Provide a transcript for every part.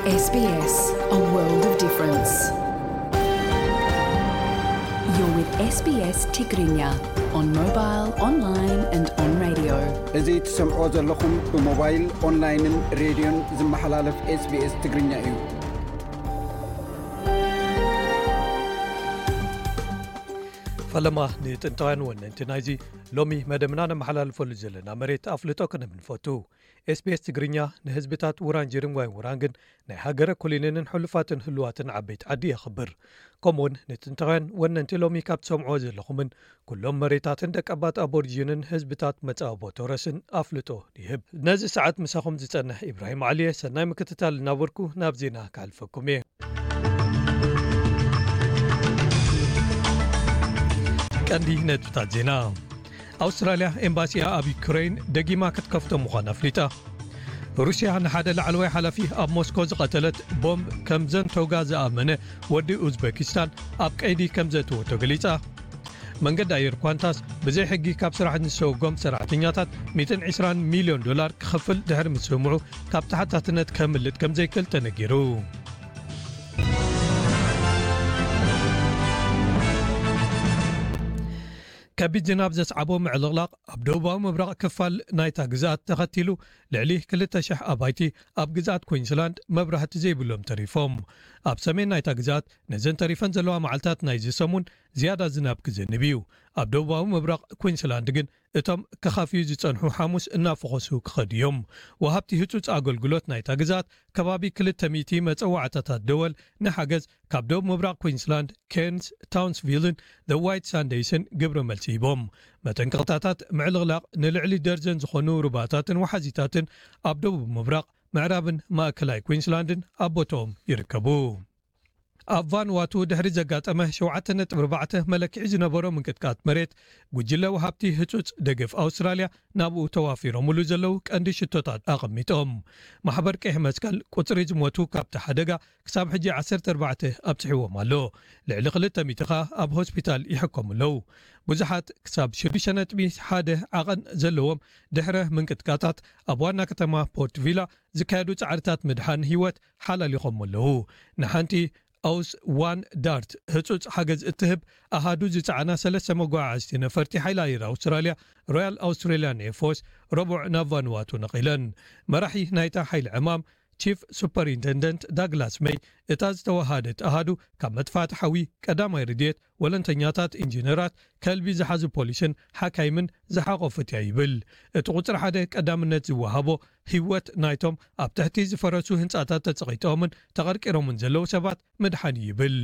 S B S, a world of difference. You're with S B S Tigrinya on mobile, online and on radio. እዚ ትሰምዖ ዘለኹም ብሞባይል፣ ኦንላይንን ሬድዮን ዝመሓላለፍ S B S ትግርኛ እዩ። ፈለማ ንጥንታውያን ወነንቲ ናይዚ ሎሚ መደብና ነመሓላልፈሉ ዘለና መሬት ኣፍልጦ ክንህብ ንፈቱ። S B S ትግርኛ ንህዝብታት ውራንጀርን ዋይ ውራንግን ናይ ሃገረ ኮሎኔልን ሕሉፋትን ህሉዋትን ዓበይቲ ዓዲ የኽብር። ከምኡውን ንጥንታውያን ወነንቲ ሎሚ ካብ ትሰምዕዎ ዘለኹምን ኩሎም መሬታትን ደቀባት ኣቦሪጂንን ህዝብታት መጻብቦ ቶረስን ኣፍልጦ ይህብ። ነዚ ሰዓት ምሳኹም ዝጸንሕ ኢብራሂም ዓሊየ ሰናይ ምክትታል እናበልኩ ናብ ዜና ካልፈኩም እየ። ቀንዲ ነጥብታት ዜና። ኣውስትራልያ ኤምባሲኣ ኣብ ዩክሬን ደጊማ ክትከፍቶ ምዃና ኣፍሊጣ። ሩስያ ንሓደ ላዕለዋይ ሓላፊ ኣብ ሞስኮ ዝቐተለት ቦምብ ከም ዘንቶጋ ዝኣመነ ወዲ ኡዝበኪስታን ኣብ ቀይዲ ከም ዘእተወቶ ገሊጻ። መንገዲ ኣየር ኳንታስ ብዘይ ሕጊ ካብ ስራሕ ንዝሰጎጎም ሰራሕተኛታት ሚእትን ዕስራን ሚልዮን ዶላር ክኸፍል ድሕሪ ምስምዑ ካብ ተሓታትነት ከምልጥ ከም ዘይክእል ተነጊሩ። ከቢድ ዝናብ ዘስዓቦ ምዕልቕላቕ ኣብ ደቡባዊ ምብራቕ ክፋል ናይታ ግዝኣት ተኸቲሉ ልዕሊ ክልተ ሽሕ ኣባይቲ ኣብ ግዝኣት ኩዊንስላንድ መብራህቲ ዘይብሎም ተሪፎም። ኣብ ሰሜን ናይታ ግዝኣት ነዘን ተሪፈን ዘለዋ መዓልታት ናይዚ ሰሙን ዝያዳ ዝናብ ክዘንብ እዩ። ኣብ ደቡባዊ ምብራቕ ኩዊንስላንድ ግን እቶም ክኻፍዩ ዝጸንሑ ሓሙስ እናፈኾሱ ክኸዱ እዮም። ወሃብቲ ህጹጽ ኣገልግሎት ናይታ ግዝኣት ከባቢ ክልተ ሚእቲ መጸዋዕታታት ደወል ንሓገዝ ካብ ደቡብ ምብራቕ ኩዊንስላንድ፣ ኬርንስ፣ ታውንስቪልን ዘ ዋይት ሳንደይስን ግብረ መልሲ ሂቦም። መጠንቀቕታታት ምዕልቕላቕ ንልዕሊ ደርዘን ዝኾኑ ሩባታትን ወሓዚታትን ኣብ ደቡብ ምብራቕ፣ ምዕራብን ማእከላይ ኩዊንስላንድን ኣብ ቦታኦም ይርከቡ። ኣብ ቫንዋቱ ድሕሪ ዘጋጠመ ሸውዓተ ነጥቢ ኣርባዕተ መለክዒ ዝነበሮ ምንቅጥቃጥ መሬት፣ ጉጅለ ወሃብቲ ህጹጽ ደገፍ ኣውስትራልያ ናብኡ ተዋፊሮምሉ ዘለዉ ቀንዲ ሽቶታት ኣቐሚጦም። ማሕበር ቀይሕ መስቀል ቁጽሪ ዝሞቱ ካብቲ ሓደጋ ክሳብ ሕጂ ዓሰርተ ኣርባዕተ ኣብጽሕዎም ኣሎ። ልዕሊ ክልተ ሚእቲ ከኣ ኣብ ሆስፒታል ይሕከሙ ኣለዉ። ብዙሓት ክሳብ ሽዱሽተ ነጥቢ ሓደ ዓቐን ዘለዎም ድሕረ ምንቅጥቃጣት ኣብ ዋና ከተማ ፖርት ቪላ ዝካየዱ ጻዕርታት ምድሓን ህይወት ሓላሊኾም ኣለዉ። ንሓንቲ ኣውስ ዋን ዳርት ህጹጽ ሓገዝ እትህብ ኣሃዱ ዝጸዓና ሰለስተ መጓዓዓዝቲ ነፈርቲ ሓይሊ ኣየር ኣውስትራልያ፣ ሮያል ኣውስትራልያን ኤርፎርስ፣ ረቡዕ ናብ ቫኑዋቱ ነቒለን። መራሒ ናይታ ሓይሊ ዕማም ቺፍ ሱፐሪንተንደንት ዳግላስ መይ፣ እታ ዝተወሃደት ኣሃዱ ካብ መጥፋእቲ ሓዊ፣ ቀዳማይ ረድኤት፣ ወለንተኛታት፣ ኢንጂነራት፣ ከልቢ ዝሓዙ ፖሊስን ሓካይምን ዝሓቖፈት እያ ይብል። እቲ ቁጽሪ ሓደ ቀዳምነት ዝወሃቦ ህይወት ናይቶም ኣብ ትሕቲ ዝፈረሱ ህንጻታት ተጸቒጦምን ተቐርቂሮምን ዘለዉ ሰባት ምድሓን እዩ ይብል።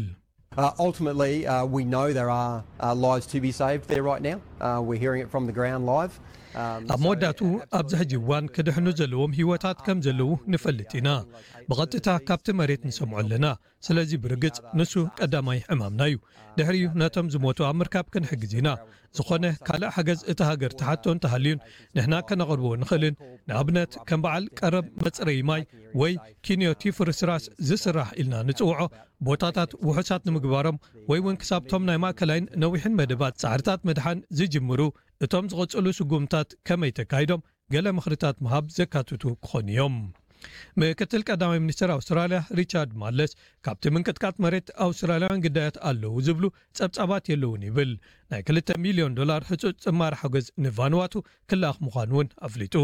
Uh, ultimately, uh, we know there are uh, lives to be saved there right now. Uh, we're hearing it from the ground live. Um, ኣብ so መወዳእቱ ኣብዚ ሕጂ እዋን ክድሕኑ ዘለዎም ህይወታት ከም ዘለዉ ንፈልጥ ኢና። ብቐጥታ ካብቲ መሬት ንሰምዖ ኣለና። ስለዚ ብርግጽ ንሱ ቀዳማይ ዕማምና እዩ። ድሕሪኡ ነቶም ዝሞቱ ኣብ ምርካብ ክንሕግዝ ኢና። ዝኾነ ካልእ ሓገዝ እታ ሃገር ትሓቶ እንተሃልዩን ንሕና ከነቕርቦ ንኽእልን፣ ንኣብነት ከም በዓል ቀረብ መጽረዪ ማይ ወይ ኪንዮቲ ፍርስራስ ዝስራሕ ኢልና ንጽውዖ ቦታታት ውሑሳት ንምግባሮም ወይ እውን ክሳብቶም ናይ ማእከላይን ነዊሕን መደባት ጻዕርታት ምድሓን ዝጅምሩ እቶም ዝቕጽሉ ስጉምታት ከመይ ተካይዶም ገለ ምኽርታት ምሃብ ዘካትቱ ክኾኑ እዮም። ምክትል ቀዳማይ ሚኒስትር ኣውስትራልያ ሪቻርድ ማለስ ካብቲ ምንቅጥቃጥ መሬት ኣውስትራልያውያን ግዳያት ኣለዉ ዝብሉ ጸብጻባት የለውን ይብል። ናይ ክልተ ሚልዮን ዶላር ህጹጽ ጽማር ሓገዝ ንቫንዋቱ ክለኣኽ ምዃኑ እውን ኣፍሊጡ።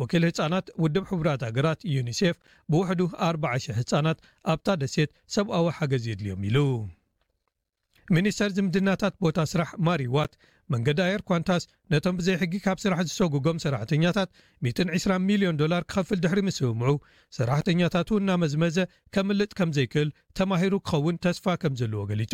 ወኪል ህጻናት ውድብ ሕቡራት ሃገራት ዩኒሴፍ ብውሕዱ ኣርባዓ ሽሕ ህጻናት ኣብታ ደሴት ሰብኣዊ ሓገዝ የድልዮም ኢሉ። ሚኒስተር ዝምድናታት ቦታ ስራሕ ማሪ ዋት መንገዲ ኣየር ኳንታስ ነቶም ብዘይ ሕጊ ካብ ስራሕ ዝሰጉጎም ሰራሕተኛታት ሚእትን ዕስራን ሚልዮን ዶላር ክኸፍል ድሕሪ ምስምምዑ፣ ሰራሕተኛታቱ እናመዝመዘ ከምልጥ ከም ዘይክእል ተማሂሩ ክኸውን ተስፋ ከም ዘለዎ ገሊጹ።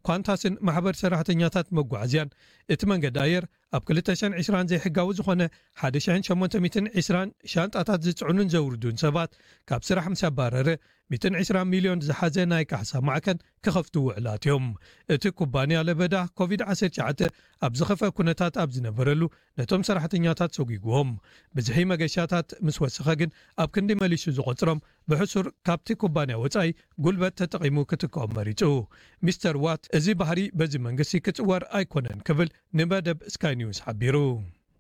ኳንታስን ማሕበር ሰራሕተኛታት መጓዓዝያን እቲ መንገዲ ኣየር ኣብ ክልተ ሽሕን ዕስራን ዘይሕጋዊ ዝኾነ ሓደ ሽሕን ሸሞንተ ሚእትን ዕስራን ሻንጣታት ዝጽዕኑን ዘውርዱን ሰባት ካብ ስራሕ ምስ ኣባረረ፣ ሚእትን ዕስራን ሚልዮን ዝሓዘ ናይ ካሕሳ ማዕከን ክኸፍቱ ውዕላት እዮም። እቲ ኩባንያ ለበዳ ኮቪድ ዓሰርተ ትሽዓተ ኣብ ዝኸፍአ ኩነታት ኣብ ዝነበረሉ ነቶም ሰራሕተኛታት ሰጒግዎም። ብዝሒ መገሻታት ምስ ወሰኸ ግን ኣብ ክንዲ መሊሱ ዝቖጽሮም ብሕሱር ካብቲ ኩባንያ ወጻኢ ጉልበት ተጠቒሙ ክትክኦም መሪጹ። ሚስተር ዋት እዚ ባህሪ በዚ መንግስቲ ክጽወር ኣይኮነን ክብል ንመደብ ስካይ ኒውስ ሓቢሩ።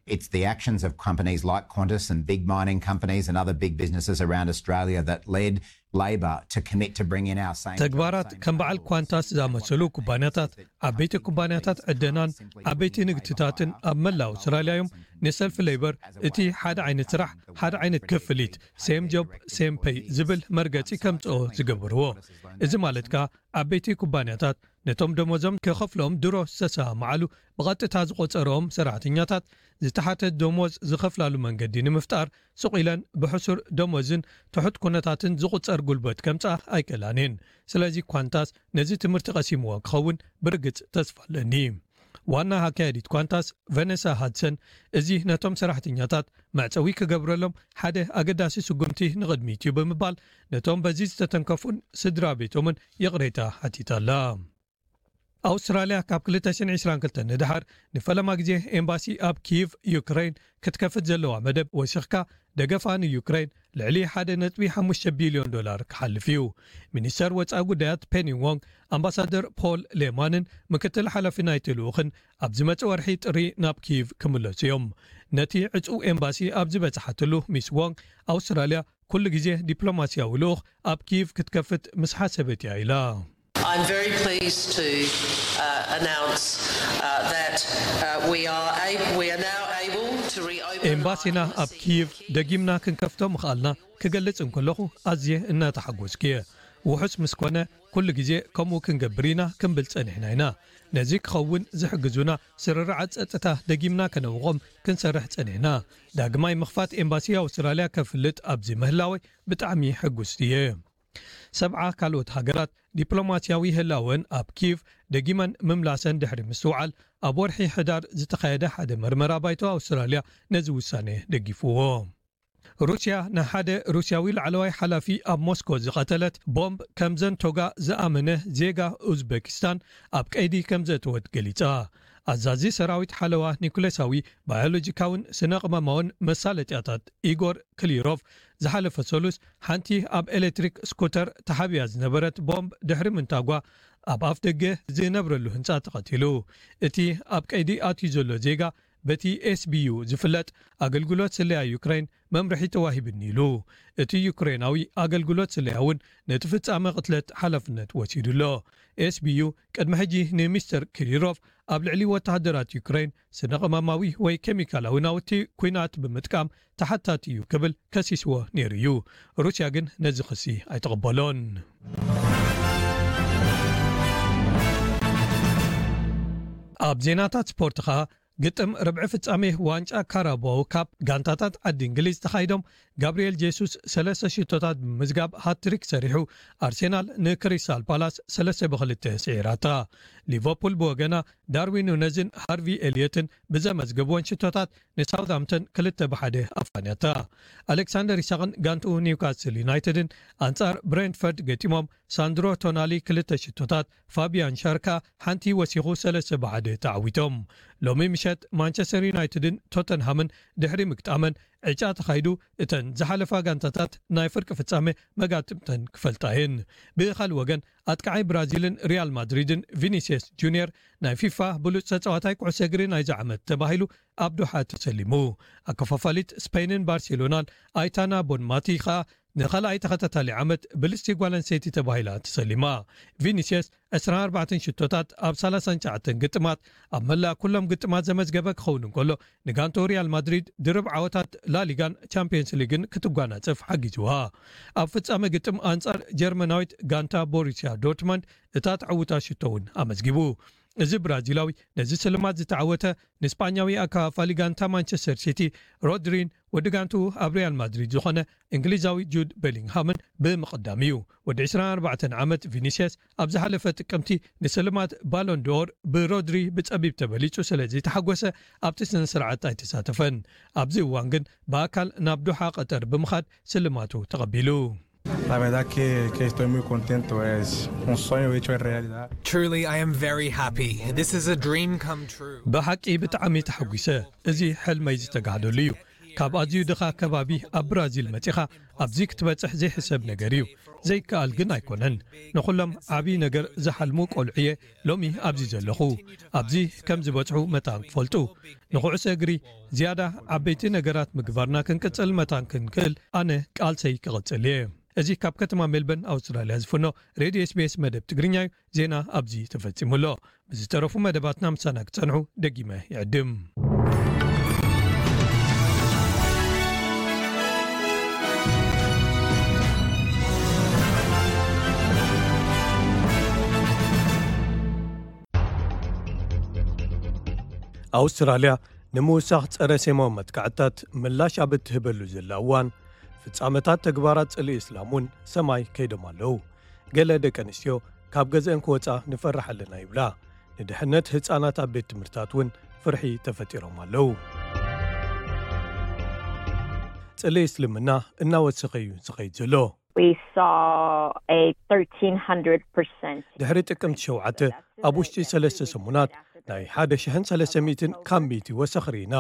It's the actions of companies like Qantas and big mining companies and other big businesses around Australia that led Labor to commit to bring in our same. ተግባራት ከም በዓል ኳንታስ ዝኣመሰሉ ኩባንያታት፣ ዓበይቲ ኩባንያታት ዕደናን ዓበይቲ ንግድታትን ኣብ መላእ ኣውስትራልያ እዮም ንሰልፊ ሌበር እቲ ሓደ ዓይነት ስራሕ፣ ሓደ ዓይነት ክፍሊት፣ ሴም ጆብ ሴም ፔይ ዝብል መርገፂ ከምፅኦ ዝገበርዎ። እዚ ማለት ከኣ ዓበይቲ ኩባንያታት ነቶም ደሞዞም ክኸፍሎም ድሮ ዝተሰማምዓሉ ብቐጥታ ዝቖጸርኦም ሰራሕተኛታት ዝተሓተ ደሞዝ ዝኸፍላሉ መንገዲ ንምፍጣር ስቕ ኢለን ብሕሱር ደሞዝን ትሑት ኩነታትን ዝቑጸር ጉልበት ከምጽኣ ኣይክእላን እየን። ስለዚ ኳንታስ ነዚ ትምህርቲ ቀሲምዎ ክኸውን ብርግጽ ተስፋ ኣለኒ። ዋና ኣካያዲት ኳንታስ ቨነሳ ሃድሰን፣ እዚ ነቶም ሰራሕተኛታት መዕጸዊ ክገብረሎም ሓደ ኣገዳሲ ስጉምቲ ንቕድሚት እዩ ብምባል ነቶም በዚ ዝተተንከፉን ስድራ ቤቶምን ይቕሬታ ሓቲታ ኣላ። ኣውስትራልያ ካብ ክልተ ሽሕን ዕስራን ክልተን ንደሓር ንፈለማ ግዜ ኤምባሲ ኣብ ኪቭ ዩክሬን ክትከፍት ዘለዋ መደብ ወሲኽካ፣ ደገፋ ንዩክሬን ልዕሊ ሓደ ነጥቢ ሓሙሽተ ቢልዮን ዶላር ክሓልፍ እዩ። ሚኒስተር ወጻኢ ጉዳያት ፔኒ ዎንግ ኣምባሳደር ፖል ሌማንን ምክትል ሓላፊ ናይቲ ልኡኽን ኣብ ዝመጽእ ወርሒ ጥሪ ናብ ኪቭ ክምለሱ እዮም። ነቲ ዕጹው ኤምባሲ ኣብ ዝበጽሓትሉ ሚስ ዎንግ ኣውስትራልያ ኩሉ ግዜ ዲፕሎማስያዊ ልኡኽ ኣብ ኪቭ ክትከፍት ምስ ሓሰበት እያ ኢላ። I'm very pleased to uh, announce uh, that uh, we are able, we are now able to reopen. ኤምባሲና ኣብ ኪቭ ደጊምና ክንከፍቶ ምኽኣልና ክገልጽ እንከለኹ ኣዝየ እናተሓጎስኩ እየ። ውሑስ ምስ ኮነ ኩሉ ግዜ ከምኡ ክንገብር ኢና ክንብል ጸኒሕና ኢና። ነዚ ክኸውን ዝሕግዙና ስርርዓት ጸጥታ ደጊምና ከነውቖም ክንሰርሕ ጸኒሕና። ዳግማይ ምኽፋት ኤምባሲ ኣውስትራልያ ከፍልጥ ኣብዚ ምህላወይ ብጣዕሚ ሕጉስቲ እየ። ሰብዓ ካልኦት ሃገራት ዲፕሎማስያዊ ህላወን ኣብ ኪቭ ደጊመን ምምላሰን ድሕሪ ምስትውዓል፣ ኣብ ወርሒ ሕዳር ዝተኻየደ ሓደ መርመራ ባይቶ ኣውስትራልያ ነዚ ውሳነ ደጊፍዎ። ሩስያ ንሓደ ሩስያዊ ላዕለዋይ ሓላፊ ኣብ ሞስኮ ዝቐተለት ቦምብ ከም ዘንቶጋ ዝኣመነ ዜጋ ኡዝበኪስታን ኣብ ቀይዲ ከም ዘእተወት ገሊጻ። ኣዛዚ ሰራዊት ሓለዋ ኒኩሌሳዊ፣ ባዮሎጂካውን ስነ ቅመማውን መሳለጥያታት ኢጎር ክሊሮቭ ዝሓለፈ ሰሉስ ሓንቲ ኣብ ኤሌክትሪክ ስኩተር ተሓቢኣ ዝነበረት ቦምብ ድሕሪ ምንታጓ ኣብ ኣፍ ደገ ዝነብረሉ ህንጻ ተቐቲሉ። እቲ ኣብ ቀይዲ ኣትዩ ዘሎ ዜጋ በቲ ኤስቢዩ ዝፍለጥ ኣገልግሎት ስለያ ዩክሬን መምርሒ ተዋሂብኒ ኢሉ። እቲ ዩክሬናዊ ኣገልግሎት ስለያ እውን ነቲ ፍጻመ ቅትለት ሓላፍነት ወሲዱ ኣሎ። ኤስቢዩ ቅድሚ ሕጂ ንሚስተር ክሪሮቭ ኣብ ልዕሊ ወተሃደራት ዩክሬን ስነ ቅመማዊ ወይ ኬሚካላዊ ናውቲ ኲናት ብምጥቃም ተሓታቲ እዩ ክብል ከሲስዎ ነይሩ እዩ። ሩስያ ግን ነዚ ክሲ ኣይተቐበሎን። ኣብ ዜናታት ስፖርት ኸኣ፣ ግጥም ርብዒ ፍጻሜ ዋንጫ ካራባኦ ካፕ ጋንታታት ዓዲ እንግሊዝ ተኻይዶም፣ ጋብርኤል ጄሱስ ሰለስተ ሽቶታት ብምምዝጋብ ሃትሪክ ሰሪሑ፣ ኣርሴናል ንክሪስታል ፓላስ ሰለስተ ብክልተ ስዒራታ። ሊቨርፑል ብወገና ዳርዊን ኑነዝን ሃርቪ ኤልዮትን ብዘመዝገብወን ሽቶታት ንሳውዝሃምፕተን ክልተ ብሓደ ኣፋንያታ። ኣሌክሳንደር ኢሳቕን ጋንትኡ ኒውካስል ዩናይትድን ኣንጻር ብሬንትፈርድ ገጢሞም፣ ሳንድሮ ቶናሊ ክልተ ሽቶታት፣ ፋቢያን ሻርካ ሓንቲ ወሲኹ ሰለስተ ብሓደ ተዓዊቶም። ሎሚ ምሸት ማንቸስተር ዩናይትድን ቶተንሃምን ድሕሪ ምግጣመን ዕጫ ተኻይዱ፣ እተን ዝሓለፋ ጋንታታት ናይ ፍርቂ ፍጻመ መጋጥምተን ክፈልጣ እየን። ብኻልእ ወገን፣ ኣጥቃዓይ ብራዚልን ሪያል ማድሪድን ቪኒሲየስ ጁኒየር ናይ ፊፋ ብሉጽ ተጻዋታይ ኩዕሶ እግሪ ናይዚ ዓመት ተባሂሉ ኣብ ዶሓ ተሰሊሙ። ኣከፋፋሊት ስፔንን ባርሴሎናን ኣይታና ቦንማቲ ኸኣ ንኻልኣይ ተኸታታሊ ዓመት ብልጽቲ ጓል ኣንስተይቲ ተባሂላ ተሰሊማ። ቪኒሲየስ ዕስራን ኣርባዕተን ሽቶታት ኣብ ሰላሳን ትሽዓተን ግጥማት ኣብ መላእ ኩሎም ግጥማት ዘመዝገበ ክኸውን እንከሎ፣ ንጋንቶ ሪያል ማድሪድ ድርብ ዓወታት ላሊጋን ቻምፒየንስ ሊግን ክትጓናጸፍ ሓጊዝዋ። ኣብ ፍጻመ ግጥም ኣንጻር ጀርመናዊት ጋንታ ቦሩሲያ ዶርትመንድ እታ ተዕውታ ሽቶ እውን ኣመዝጊቡ። እዚ ብራዚላዊ ነዚ ስልማት ዝተዓወተ ንስጳኛዊ ኣከፋፋሊ ጋንታ ማንቸስተር ሲቲ ሮድሪን ወዲ ጋንትኡ ኣብ ሪያል ማድሪድ ዝኾነ እንግሊዛዊ ጁድ ቤሊንግሃምን ብምቕዳም እዩ። ወዲ ዕስራን ኣርባዕተን ዓመት ቪኒሲየስ ኣብ ዝሓለፈ ጥቅምቲ ንስልማት ባሎን ዶር ብሮድሪ ብጸቢብ ተበሊጹ ስለ ዘይተሓጎሰ ኣብቲ ስነ ስርዓት ኣይተሳተፈን። ኣብዚ እዋን ግን ብኣካል ናብ ዶሓ ቀጠር ብምኻድ ስልማቱ ተቐቢሉ። La verdad que, que estoy muy contento, es un sueño hecho en realidad. Truly, I am very happy. This is a dream come true. ብሓቂ ብጣዕሚ ተሓጒሰ። እዚ ሕልመይ ዝተጋህደሉ እዩ። ካብ ኣዝዩ ድኻ ከባቢ ኣብ ብራዚል መጺኻ ኣብዚ ክትበጽሕ ዘይሕሰብ ነገር እዩ። ዘይከኣል ግን ኣይኮነን። ንኹሎም ዓብዪ ነገር ዝሓልሙ ቆልዑ እየ ሎሚ ኣብዚ ዘለኹ። ኣብዚ ከም ዝበጽሑ መታን ክፈልጡ፣ ንኹዕሶ እግሪ ዝያዳ ዓበይቲ ነገራት ምግባርና ክንቅጽል መታን ክንክእል ኣነ ቃልሰይ ክቕጽል እየ። እዚ ካብ ከተማ ሜልበርን ኣውስትራልያ ዝፍኖ ሬድዮ ኤስቢኤስ መደብ ትግርኛ እዩ። ዜና ኣብዚ ተፈጺሙ ኣሎ። ብዝተረፉ መደባትና ምሳና ክጸንሑ ደጊመ ይዕድም። ኣውስትራልያ ንምውሳኽ ጸረ ሴማዊ መጥቃዕትታት ምላሽ ኣብ እትህበሉ ዘላ እዋን፣ ፍጻመታት ተግባራት ጽልኢ እስላም እውን ሰማይ ከይዶም ኣለዉ። ገለ ደቂ ኣንስትዮ ካብ ገዝአን ክወጻ ንፈርሕ ኣለና ይብላ። ንድሕነት ህጻናት ኣብ ቤት ትምህርታት እውን ፍርሒ ተፈጢሮም ኣለዉ። ጽልኢ እስልምና እናወሰኸ እዩ ዝኸይድ ዘሎ። We saw a thirteen hundred percent ድሕሪ ጥቅምቲ ሸውዓተ፣ ኣብ ውሽጢ ሰለስተ ሰሙናት ናይ ሓደ ሽሕን ሰለስተ ሚእትን ካብ ሚእቲ ወሰኽ ርኢና።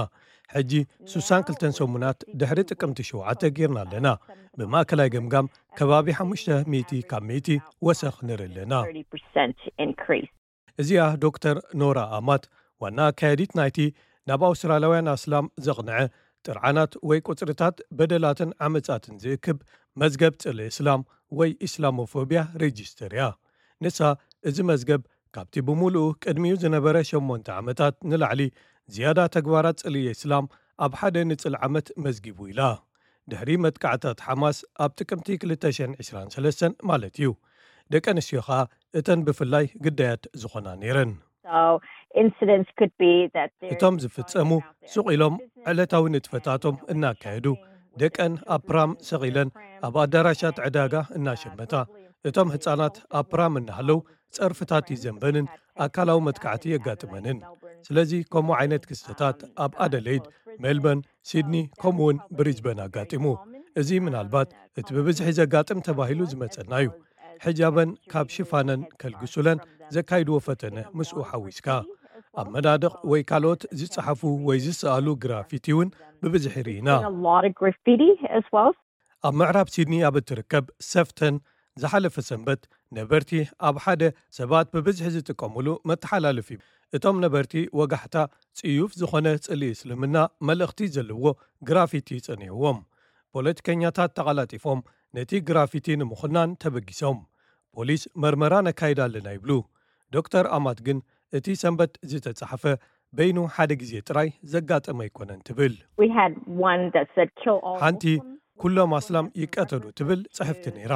ሕጂ ሱሳን ክልተን ሰሙናት ድሕሪ ጥቅምቲ ሸውዓተ ጌርና ኣለና። ብማእከላይ ገምጋም ከባቢ ሓሙሽተ ሚእቲ ካብ ሚእቲ ወሰኽ ንርኢ ኣለና። Thirty percent increase. እዚኣ ዶክተር ኖራ ኣማት፣ ዋና ኣካያዲት ናይቲ ናብ ኣውስትራልያውያን ኣስላም ዘቕንዐ ጥርዓናት ወይ ቁጽርታት በደላትን ዓመጻትን ዝእክብ መዝገብ ጽልኢ እስላም ወይ ኢስላሞፎብያ ሬጂስተር እያ። ንሳ፣ እዚ መዝገብ ካብቲ ብምሉኡ ቅድሚኡ ዝነበረ ሸሞንተ ዓመታት ንላዕሊ ዝያዳ ተግባራት ጽልኢ እስላም ኣብ ሓደ ንጽል ዓመት መዝጊቡ ኢላ። ድሕሪ መጥቃዕታት ሓማስ ኣብ ጥቅምቲ ክልተ ሽሕን ዕስራን ሰለስተን ማለት እዩ፣ ደቂ ኣንስትዮ ኸኣ እተን ብፍላይ ግዳያት ዝኾና ነይረን። So incidents could be that they're እቶም ዝፍጸሙ going about their ሱቕ ኢሎም business ዕለታዊ ንጥፈታቶም እናካየዱ፣ ደቀን ኣብ ፕራም ሰቒለን ኣብ ኣዳራሻት ዕዳጋ እናሸመታ፣ እቶም ህጻናት ኣብ ፕራም እናሃለዉ ጸርፍታት ይዘንበንን ኣካላዊ መጥቃዕቲ የጋጥመንን። ስለዚ ከምኡ ዓይነት ክስተታት ኣብ ኣደለይድ፣ ሜልበርን፣ ሲድኒ ከምኡውን ብሪዝበን ኣጋጢሙ። እዚ ምናልባት እቲ ብብዝሒ ዘጋጥም ተባሂሉ ዝመጸና እዩ። ሕጃበን ካብ ሽፋነን ከልግሱለን ዘካይድዎ ፈተነ ምስኡ ሓዊስካ፣ ኣብ መናድቕ ወይ ካልኦት ዝጸሓፉ ወይ ዝሰኣሉ ግራፊቲ እውን ብብዝሒ ርኢና። A lot of graffiti as well. ኣብ ምዕራብ ሲድኒ ኣብ እትርከብ ሰፍተን ዝሓለፈ ሰንበት ነበርቲ ኣብ ሓደ ሰባት ብብዝሒ ዝጥቀሙሉ መተሓላለፊ፣ እቶም ነበርቲ ወጋሕታ ጽዩፍ ዝኾነ ጽልኢ እስልምና መልእኽቲ ዘለዎ ግራፊቲ ጸኒሕዎም። ፖለቲከኛታት ተቐላጢፎም ነቲ ግራፊቲ ንምኹናን ተበጊሶም። ፖሊስ መርመራ ነካይድ ኣለና ይብሉ። ዶክተር ኣማት ግን እቲ ሰንበት ዝተጻሕፈ በይኑ ሓደ ግዜ ጥራይ ዘጋጠመ ኣይኮነን ትብል። We had one that said, "Kill all ሓንቲ Muslims." ኩሎም ኣስላም ይቀተሉ ትብል ጽሕፍቲ ነይራ።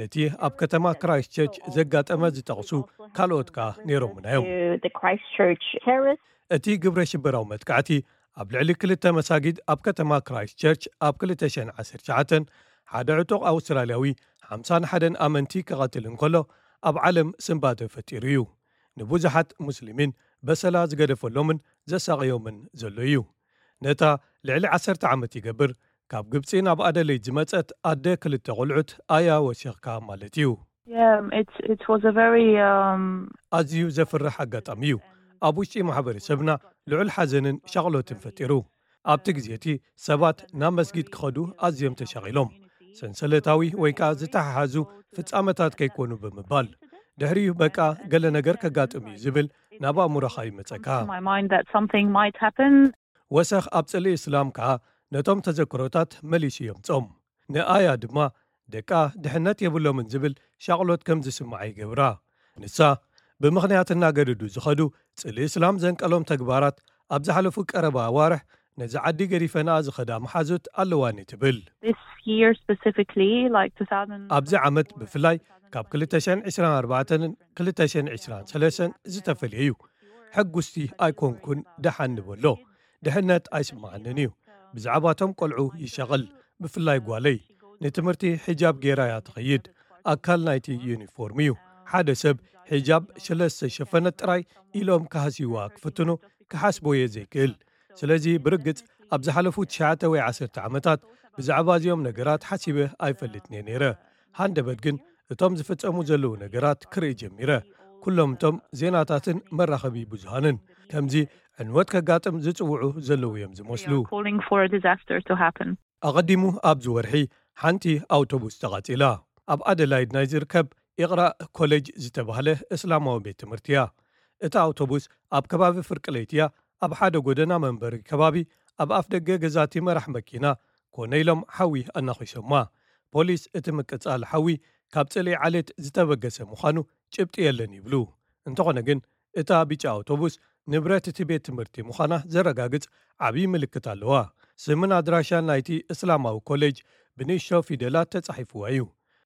ነቲ ኣብ ከተማ ክራይስት ቸርች ዘጋጠመ ዝጠቕሱ ካልኦት ከኣ ነይሮምና እዮም። To the Christchurch terrorists. እቲ ግብረ ሽበራዊ መጥቃዕቲ ኣብ ልዕሊ ክልተ መሳጊድ ኣብ ከተማ ክራይስት ቸርች ኣብ ክልተ ሽሕን ዓሰርተ ትሽዓተን ሓደ ዕጡቕ ኣውስትራልያዊ ሓምሳን ሓደን ኣመንቲ ክቐትል እንከሎ ኣብ ዓለም ስንባደ ፈጢሩ እዩ። ንብዙሓት ሙስሊሚን በሰላ ዝገደፈሎምን ዘሳቕዮምን ዘሎ እዩ። ነታ ልዕሊ ዓሰርተ ዓመት ይገብር ካብ ግብጺ ናብ ኣደለይድ ዝመጸት ኣደ ክልተ ቆልዑት ኣያ ወሲኽካ ማለት እዩ። Yeah, it's, it was a very, um, ኣዝዩ ዘፍርሕ ኣጋጣሚ እዩ። ኣብ ውሽጢ ማሕበረሰብና ልዑል ሓዘንን ሻቕሎትን ፈጢሩ። ኣብቲ ግዜ እቲ ሰባት ናብ መስጊድ ክኸዱ ኣዝዮም ተሻቒሎም። ሰንሰለታዊ ወይ ከኣ ዝተሓሓዙ ፍጻመታት ከይኮኑ ብምባል፣ ድሕሪኡ በቃ ገለ ነገር ከጋጥም እዩ ዝብል ናብ ኣእምሮኻ ይመጸካ። My mind that something might happen. ወሰኽ ኣብ ጽልኢ እስላም ከኣ ነቶም ተዘክሮታት መሊሱ የምጾም። ንኣያ ድማ ደቃ ድሕነት የብሎምን ዝብል ሻቕሎት ከም ዝስምዓ ይገብራ። ንሳ፣ ብምኽንያት እናገደዱ ዝኸዱ ጽልኢ እስላም ዘንቀሎም ተግባራት ኣብ ዝሓለፉ ቀረባ ኣዋርሕ ነዚ ዓዲ ገዲፈንኣ ዝኸዳ መሓዙት ኣለዋኒ ትብል። This year specifically, like two thousand ኣብዚ ዓመት ብፍላይ ካብ ክልተ ሽሕን ዕስራን ኣርባዕተን ክልተ ሽሕን ዕስራን ሰለስተን ዝተፈልየ እዩ። ሕጉስቲ ኣይኮንኩን ደሓን ንበሎ። ድሕነት ኣይስምዓንን እዩ። ብዛዕባቶም ቆልዑ ይሻቐል፣ ብፍላይ ጓለይ። ንትምህርቲ ሒጃብ ገይራ እያ ትኸይድ። ኣካል ናይቲ ዩኒፎርም እዩ። ሓደ ሰብ ሒጃብ ስለ ዝተሸፈነት ጥራይ ኢሎም ክሃስይዋ ክፍትኑ ክሓስቦ እየ ዘይክእል። ስለዚ ብርግጽ ኣብ ዝሓለፉ ትሽዓተ ወይ ዓሰርተ ዓመታት ብዛዕባ እዚኦም ነገራት ሓሲበ ኣይፈልጥን እየ ነይረ። ሃንደበት ግን እቶም ዝፍጸሙ ዘለዉ ነገራት ክርኢ ጀሚረ። ኩሎም እቶም ዜናታትን መራኸቢ ብዙሃንን ከምዚ ዕንወት ከጋጥም ዝጽውዑ ዘለዉ እዮም ዝመስሉ። Calling for a disaster to happen. ኣቐዲሙ ኣብዚ ወርሒ ሓንቲ ኣውቶቡስ ተቓጺላ። ኣብ ኣደላይድ ናይ ዝርከብ ኢቕራእ ኮሌጅ ዝተባህለ እስላማዊ ቤት ትምህርቲ እያ። እታ ኣውቶቡስ ኣብ ከባቢ ፍርቂ ለይቲ እያ ኣብ ሓደ ጎደና መንበሪ ከባቢ ኣብ ኣፍ ደገ ገዛቲ መራሕ መኪና ኮነ ኢሎም ሓዊ ኣናኺሶማ። ፖሊስ እቲ ምቅጻል ሓዊ ካብ ጽልኢ ዓሌት ዝተበገሰ ምዃኑ ጭብጢ የለን ይብሉ። እንተኾነ ግን እታ ቢጫ ኣውቶቡስ ንብረት እቲ ቤት ትምህርቲ ምዃና ዘረጋግጽ ዓብዪ ምልክት ኣለዋ። ስምን ኣድራሻን ናይቲ እስላማዊ ኮሌጅ ብንእሽቶ ፊደላት ተጻሒፍዋ እዩ።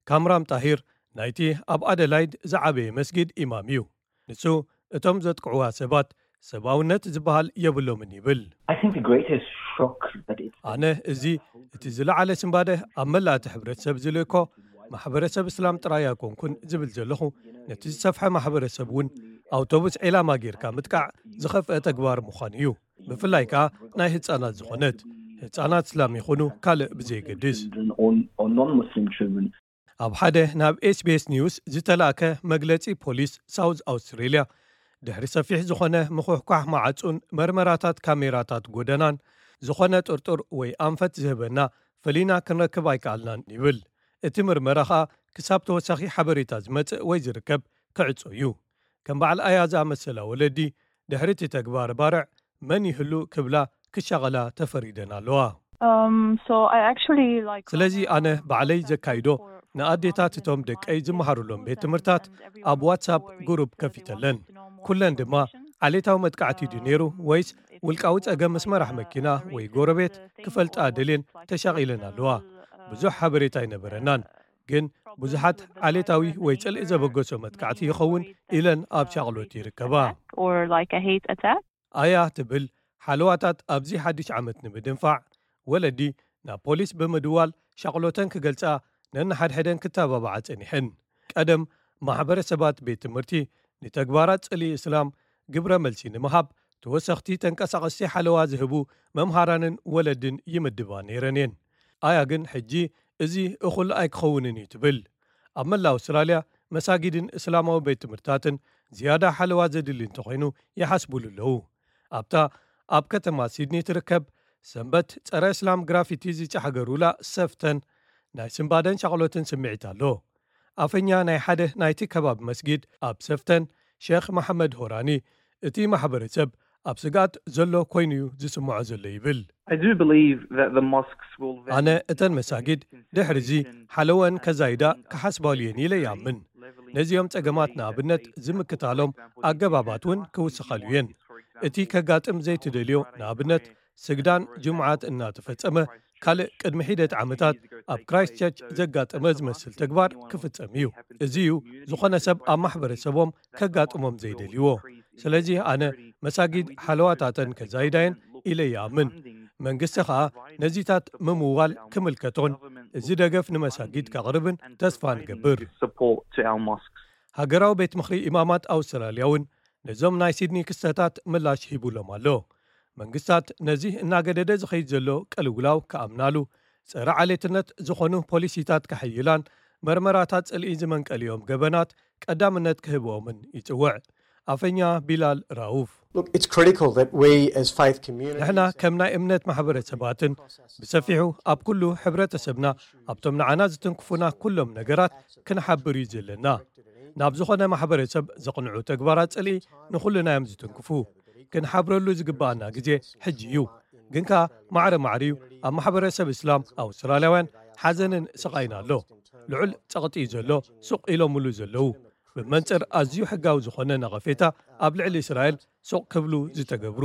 ካምራም ጣሂር ናይቲ ኣብ ኣደላይድ ዝዓበየ መስጊድ ኢማም እዩ። ንሱ እቶም ዘጥቅዕዋ ሰባት ሰብኣውነት ዝበሃል የብሎምን ይብል። I think the greatest shock that it's ኣነ እዚ እቲ ዝለዓለ ስንባደ ኣብ መላእቲ ሕብረተሰብ ዝልእኮ ማሕበረሰብ እስላም ጥራይ ኣይኮንኩን ዝብል ዘለኹ ነቲ ዝሰፍሐ ማሕበረሰብ እውን ኣውቶቡስ ዒላማ ጌርካ ምጥቃዕ ዝኸፍአ ተግባር ምዃኑ እዩ። ብፍላይ ከኣ ናይ ህፃናት ዝኾነት ህፃናት እስላም ይኹኑ ካልእ ብዘይገድስ። Or, or non-Muslim children. ኣብ ሓደ ናብ ኤስቢኤስ ኒውስ ዝተላእከ መግለጺ ፖሊስ ሳውዝ ኣውስትሬልያ ድሕሪ ሰፊሕ ዝኾነ ምኹሕኳሕ መዓጹን መርመራታት ካሜራታት ጎደናን ዝኾነ ጥርጡር ወይ ኣንፈት ዝህበና ፈሊና ክንረክብ ኣይከኣልናን ይብል። እቲ ምርመራ ኸኣ ክሳብ ተወሳኺ ሓበሬታ ዝመጽእ ወይ ዝርከብ ክዕጾ እዩ። ከም በዓል ኣያ ዝኣመሰላ ወለዲ ድሕሪ እቲ ተግባር ባርዕ መን ይህሉ ክብላ ክሻቐላ ተፈሪደን ኣለዋ። Um, so I actually like. ስለዚ ኣነ ባዕለይ ዘካይዶ ንኣዴታት እቶም ደቀይ ዝመሃሩሎም ቤት ትምህርታት ኣብ ዋትሳፕ ግሩፕ ከፊተለን። ኩለን ድማ ዓሌታዊ መጥቃዕቲ ድዩ ነይሩ ወይስ ውልቃዊ ጸገም ምስ መራሕ መኪና ወይ ጎረቤት ክፈልጣ ደልየን ተሻቒለን ኣለዋ። ብዙሕ ሓበሬታ ኣይነበረናን፣ ግን ብዙሓት ዓሌታዊ ወይ ጽልኢ ዘበገሶ መጥቃዕቲ ይኸውን ኢለን ኣብ ሻቕሎት ይርከባ። Or like a hate attack. ኣያ ትብል ሓለዋታት ኣብዚ ሓድሽ ዓመት ንምድንፋዕ ወለዲ ናብ ፖሊስ ብምድዋል ሻቕሎተን ክገልጻ ነንሓድሕደን ክተባብዓ ጸኒሐን። ቀደም ማሕበረሰባት ቤት ትምህርቲ ንተግባራት ጽልኢ እስላም ግብረ መልሲ ንምሃብ ተወሰኽቲ ተንቀሳቐስቲ ሓለዋ ዝህቡ መምሃራንን ወለድን ይምድባ ነይረን እየን። ኣያ ግን ሕጂ እዚ እኹል ኣይክኸውንን እዩ ትብል። ኣብ መላ ኣውስትራልያ መሳጊድን እስላማዊ ቤት ትምህርታትን ዝያዳ ሓለዋ ዘድሊ እንተኾይኑ ይሓስቡሉ ኣለዉ። ኣብታ ኣብ ከተማ ሲድኒ ትርከብ ሰንበት ጸረ እስላም ግራፊቲ ዝጫሕገሩላ ሰፍተን ናይ ስንባደን ሻቕሎትን ስምዒት ኣሎ። ኣፈኛ ናይ ሓደ ናይቲ ከባቢ መስጊድ ኣብ ሰፍተን ሼኽ መሓመድ ሆራኒ እቲ ማሕበረሰብ ኣብ ስግኣት ዘሎ ኮይኑ እዩ ዝስምዖ ዘሎ ይብል። I do believe that the mosques will ኣነ እተን መሳጊድ ድሕሪ እዚ ሓለወን ከዛይዳ ክሓስባሉ እየን ኢለ ይኣምን። ነዚኦም ጸገማት ንኣብነት ዝምክታሎም ኣገባባት እውን ክውስኻሉ እየን። እቲ ከጋጥም ዘይትደልዮ ንኣብነት ስግዳን ጅሙዓት እናተፈጸመ ካልእ ቅድሚ ሒደት ዓመታት ኣብ ክራይስቸርች ዘጋጠመ ዝመስል ተግባር ክፍጸም እዩ። እዚ እዩ ዝኾነ ሰብ ኣብ ማሕበረሰቦም ከጋጥሞም ዘይደልይዎ። ስለዚ ኣነ መሳጊድ ሓለዋታተን ከዛይዳየን ኢለ ይኣምን። መንግስቲ ኸኣ ነዚታት ምምዋል ክምልከቶን እዚ ደገፍ ንመሳጊድ ከቕርብን ተስፋ ንገብር። Support to our mosques. ሃገራዊ ቤት ምኽሪ ኢማማት ኣውስትራልያ እውን ነዞም ናይ ሲድኒ ክስተታት ምላሽ ሂቡሎም ኣሎ። መንግስታት ነዚ እናገደደ ዝኸይድ ዘሎ ቅልውላው ክኣምናሉ ጸረ ዓሌትነት ዝኾኑ ፖሊሲታት ከሐይላን መርመራታት ጽልኢ ዝመንቀሊኦም ገበናት ቀዳምነት ክህብኦምን ይጽውዕ። ኣፈኛ ቢላል ራውፍ Look, it's critical that we as faith communities ንሕና ከም ናይ እምነት ማሕበረሰባትን ብሰፊሑ ኣብ ኩሉ ሕብረተሰብና ኣብቶም ንዓና ዝትንክፉና ኩሎም ነገራት ክንሓብር እዩ ዘለና። ናብ ዝኾነ ማሕበረሰብ ዘቕንዑ ተግባራት ጽልኢ ንኹልና እዮም ዝትንክፉ። ክንሓብረሉ ዝግባኣና ግዜ ሕጂ እዩ። ግን ከኣ ማዕረ ማዕረ እዩ ኣብ ማሕበረሰብ እስላም ኣውስትራልያውያን ሓዘንን ስቓይን ኣሎ። ልዑል ጸቕጢ እዩ ዘሎ ሱቕ ኢሎምሉ ዘለዉ። ብመንጽር ኣዝዩ ሕጋዊ ዝኾነ ነቐፌታ ኣብ ልዕሊ እስራኤል ሱቕ ክብሉ ዝተገብሩ።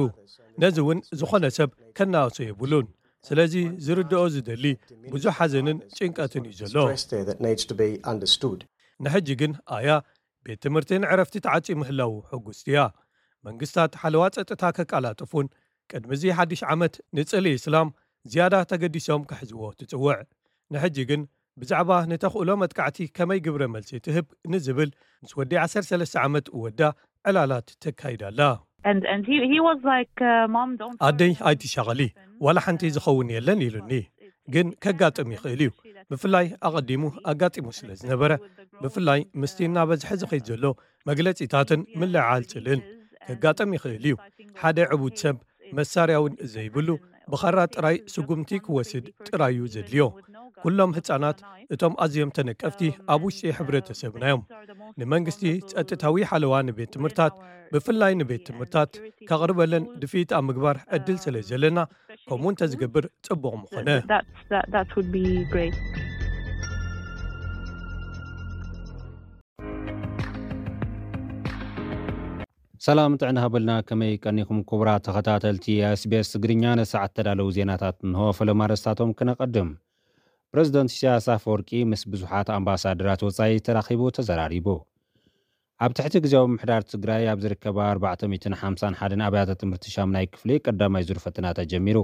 ነዚ እውን ዝኾነ ሰብ ከናእሶ የብሉን። ስለዚ ዝርድኦ ዝደሊ ብዙሕ ሓዘንን ጭንቀትን እዩ ዘሎ። Stress there that needs to be understood. ንሕጂ ግን ኣያ ቤት ትምህርትን ዕረፍቲ ተዓጽዩ ምህላዉ ሕጉስቲ እያ። መንግስታት ሓለዋ ጸጥታ ከቃላጥፉን ቅድሚ እዚ ሓድሽ ዓመት ንጽልኢ እስላም ዝያዳ ተገዲሶም ክሕዝዎ ትጽውዕ። ንሕጂ ግን ብዛዕባ ንተኽእሎ መጥቃዕቲ ከመይ ግብረ መልሲ ትህብ ንዝብል ምስ ወዲ ዓሰርተ ሰለስተ ዓመት ወዳ ዕላላት ተካይዳ ኣላ። And and he he was like, uh, "Mom, don't." ኣደይ ኣይትሻቐሊ፣ ዋላ ሓንቲ ዝኸውን የለን ኢሉኒ። ግን ከጋጥም ይኽእል እዩ። ብፍላይ ኣቐዲሙ ኣጋጢሙ ስለ ዝነበረ፣ ብፍላይ ምስቲ እናበዝሐ ዝኸይድ ዘሎ መግለጺታትን ምልዕዓል ጽልእን ከጋጥም ይኽእል እዩ። ሓደ ዕቡድ ሰብ መሳርያ እውን ዘይብሉ ብኻራ ጥራይ ስጉምቲ ክወስድ ጥራይ እዩ ዘድልዮ። ኩሎም ህጻናት እቶም ኣዝዮም ተነቀፍቲ ኣብ ውሽጢ ሕብረተሰብና እዮም። ንመንግስቲ ጸጥታዊ ሓለዋ ንቤት ትምህርታት፣ ብፍላይ ንቤት ትምህርታት ከቕርበለን ድፊት ኣብ ምግባር ዕድል ስለ ዘለና፣ ከምኡ እንተዝገብር ጽቡቕ ምኾነ። That's, that, that would be great. ሰላም ጥዕና ሃበልና፣ ከመይ ቀኒኹም ክቡራት ተኸታተልቲ SBS ትግርኛ? ንሰዓት ተዳለዉ ዜናታት እንሆ። ፈለማ ኣርእስታቶም ክነቐድም። ፕረዚደንት ኢሳያስ ኣፈወርቂ ምስ ብዙሓት ኣምባሳደራት ወጻኢ ተራኺቡ ተዘራሪቡ። ኣብ ትሕቲ ግዜያዊ ምሕዳር ትግራይ ኣብ ዝርከባ ኣርባዕተ ሚእትን ሓምሳን ሓደን ኣብያተ ትምህርቲ ሻምናይ ክፍሊ ቀዳማይ ዙር ፈተና ተጀሚሩ።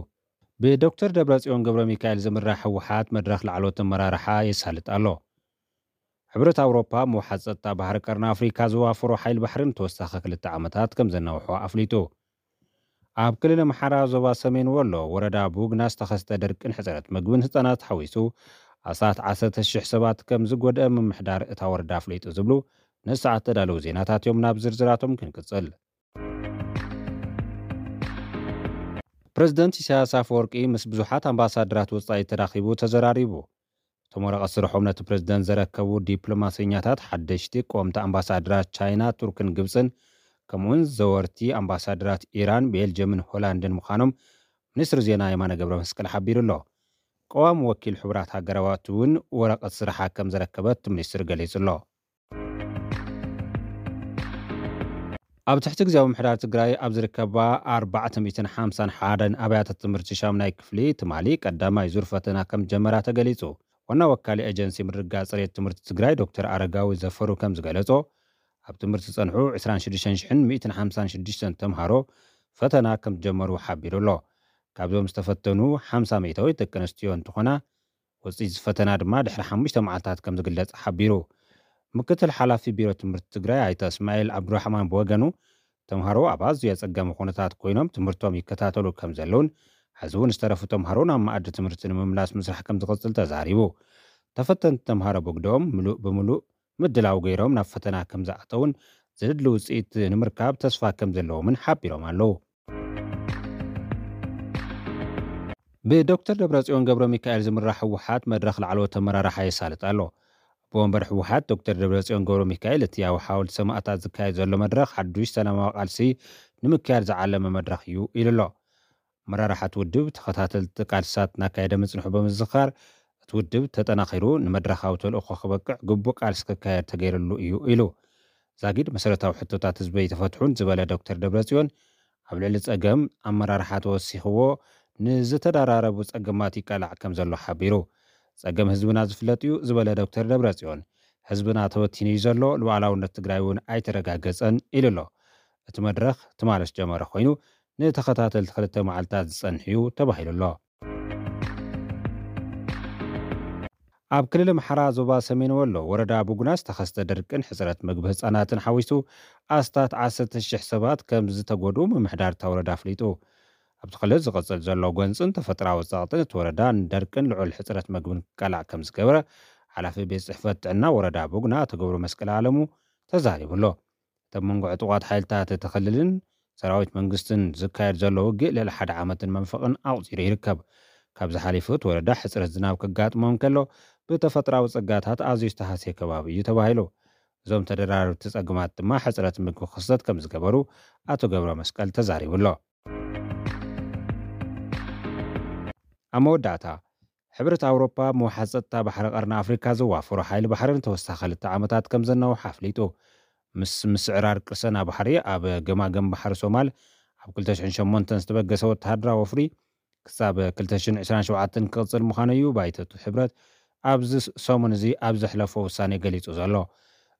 ብዶክተር ደብረጽዮን ገብረ ሚካኤል ዝምራሕ ህወሓት መድረኽ ላዕሎት ኣመራርሓ የሳልጥ ኣሎ። ሕብረት ኣውሮፓ ምውሓድ ጸጥታ ባሕሪ ቀርኒ ኣፍሪካ ዝዋፈሮ ሓይል ባሕሪ ንተወሳኺ ክልተ ዓመታት ከም ዘናውሖ ኣፍሊጡ። ኣብ ክልል ኣምሓራ ዞባ ሰሜን ወሎ ወረዳ ቡግና ዝተኸስተ ደርቅን ሕጽረት ምግብን ህጻናት ሓዊሱ ኣስታት ዓሰርተ ሽሕ ሰባት ከም ዝጎድአ ምምሕዳር እታ ወረዳ ኣፍሊጡ ዝብሉ ንሰዓት ተዳለዉ ዜናታት እዮም። ናብ ዝርዝራቶም ክንቅጽል። ፕረዚደንት ኢሳያስ ኣፈወርቂ ምስ ብዙሓት ኣምባሳደራት ወጻኢ ተራኺቡ ተዘራሪቡ። እቶም ወረቐት ስርሖም ነቲ ፕረዚደንት ዘረከቡ ዲፕሎማሰኛታት ሓደሽቲ ቀወምቲ ኣምባሳደራት ቻይና፣ ቱርክን ግብፅን፣ ከምኡውን ዘወርቲ ኣምባሳደራት ኢራን፣ ቤልጅየምን ሆላንድን ምዃኖም ሚኒስትሪ ዜና የማነ ገብረ መስቀል ሓቢሩ ኣሎ። ቀዋሚ ወኪል ሕቡራት ሃገራዋት እውን ወረቐት ስርሓ ከም ዘረከበት እቲ ሚኒስትር ገሊጹ ኣሎ። ኣብ ትሕቲ ግዜያዊ ምሕዳር ትግራይ ኣብ ዝርከባ ኣርባዕተ ሚእትን ሓምሳን ሓደን ኣብያተ ትምህርቲ ሻምናይ ክፍሊ ትማሊ ቀዳማይ ዙር ፈተና ከም ጀመራ ተገሊጹ። ዋና ወካሊ ኤጀንሲ ምርግጋጽ ጽሬት ትምህርቲ ትግራይ ዶክተር ኣረጋዊ ዘፈሩ ከም ዝገለጾ፣ ኣብ ትምህርቲ ዝጸንሑ ዕስራን ሽዱሽተን ሽሕን ሚእትን ሓምሳን ሽዱሽተን ተምሃሮ ፈተና ከም ዝጀመሩ ሓቢሩ ኣሎ። ካብዞም ዝተፈተኑ ሓምሳ ሚእታዊት ደቂ ኣንስትዮ እንትኾና፣ ውፅኢት ፈተና ድማ ድሕሪ ሓሙሽተ መዓልታት ከም ዝግለጽ ሓቢሩ። ምክትል ሓላፊ ቢሮ ትምህርቲ ትግራይ ኣይተ እስማኤል ኣብዱራሕማን ብወገኑ፣ ተምሃሮ ኣብ ኣዝዩ ኣጸጋሚ ኩነታት ኮይኖም ትምህርቶም ይከታተሉ ከም ዘለውን፣ ሕዚ እውን ዝተረፉ ተምሃሮ ናብ መኣዲ ትምህርቲ ንምምላስ ምስራሕ ከም ዝቕጽል ተዛሪቡ። ተፈተንቲ ተምሃሮ ብግደኦም ምሉእ ብምሉእ ምድላው ገይሮም ናብ ፈተና ከም ዝኣተውን፣ ዘድሊ ውፅኢት ንምርካብ ተስፋ ከም ዘለዎምን ሓቢሮም ኣለዉ። ብዶክተር ደብረጽዮን ገብረ ሚካኤል ዝምራሕ ህወሓት መድረኽ ላዕለዎት ኣመራርሓ የሳልጥ ኣሎ። ኣቦ ወንበር ህወሓት ዶክተር ደብረጽዮን ገብረ ሚካኤል፣ እቲ ኣብ ሓወልቲ ሰማእታት ዝካየድ ዘሎ መድረኽ ሓዱሽ ሰላማዊ ቃልሲ ንምክያድ ዝዓለመ መድረኽ እዩ ኢሉ ኣሎ። ኣመራርሓ እቲ ውድብ ተኸታተልቲ ቃልስታት እናካየደ ምጽንሑ ብምዝኻር፣ እቲ ውድብ ተጠናኺሩ ንመድረኻዊ ተልእኾ ክበቅዕ ግቡእ ቃልሲ ክካየድ ተገይርሉ እዩ ኢሉ። ዛጊድ መሰረታዊ ሕቶታት ህዝበይ ተፈትሑን ዝበለ ዶክተር ደብረጽዮን፣ ኣብ ልዕሊ ጸገም ኣመራርሓ ተወሲኽዎ ንዝተደራረቡ ጸገማት ይቃላዕ ከም ዘሎ ሓቢሩ። ጸገም ህዝብና ዝፍለጥ እዩ ዝበለ ዶክተር ደብረጽዮን፣ ህዝብና ተበቲኑ እዩ ዘሎ፣ ሉዓላውነት ትግራይ እውን ኣይተረጋገጸን ኢሉ ኣሎ። እቲ መድረኽ ትማሊ ዝጀመረ ኮይኑ፣ ንተኸታተልቲ ክልተ መዓልታት ዝጸንሕ እዩ ተባሂሉ ኣሎ። ኣብ ክልል ኣምሓራ ዞባ ሰሜን ወሎ ወረዳ ቡጉና ዝተኸስተ ድርቅን ሕፅረት ምግቢ ህፃናትን ሓዊሱ ኣስታት ዓሰርተ ሽሕ ሰባት ከም ዝተጎድኡ ምምሕዳር እታ ወረዳ ኣፍሊጡ። ኣብቲ ክልል ዝቕፅል ዘሎ ጎንፅን ተፈጥራዊ ፀቕጥን እቲ ወረዳ ንደርቅን ልዑል ሕፅረት ምግብን ክቃላዕ ከም ዝገበረ ሓላፊ ቤት ፅሕፈት ጥዕና ወረዳ ቡጉና ኣቶ ገብረ መስቀል ኣለሙ ተዛሪቡ ኣሎ። እቲ ኣብ መንጎ ዕጡቓት ሓይልታት እቲ ክልልን ሰራዊት መንግስትን ዝካየድ ዘሎ ውግእ ልዕሊ ሓደ ዓመትን መንፈቕን ኣቑፂሩ ይርከብ። ካብዚ ሓሊፉ እቲ ወረዳ ሕፅረት ዝናብ ከጋጥሞ እንከሎ ብተፈጥራዊ ፀጋታት ኣዝዩ ዝተሃስየ ከባቢ እዩ ተባሂሉ። እዞም ተደራረብቲ ፀገማት ድማ ሕፅረት ምግቢ ክኽሰት ከም ዝገበሩ ኣቶ ገብረ መስቀል ተዛሪቡ ኣሎ። ኣብ መወዳእታ፣ ሕብረት ኣውሮፓ ምውሓዝ ጸጥታ ባሕሪ ቀርኒ ኣፍሪካ ዘዋፈሮ ሓይሊ ባሕሪ ንተወሳኺ ክልተ ዓመታት ከም ዘናውሖ ኣፍሊጡ። ምስ ምስዕራር ቅርሰና ባሕሪ ኣብ ገማገም ባሕሪ ሶማል ኣብ ክልተ ሽሕን ሸሞንተን ዝተበገሰ ወተሃደራዊ ወፍሪ ክሳብ ክልተ ሽሕን ዕስራን ሸውዓተን ክቕጽል ምዃኑ እዩ ባይቶ እቲ ሕብረት ኣብዚ ሰሙን እዚ ኣብ ዘሕለፎ ውሳኔ ገሊጹ ዘሎ።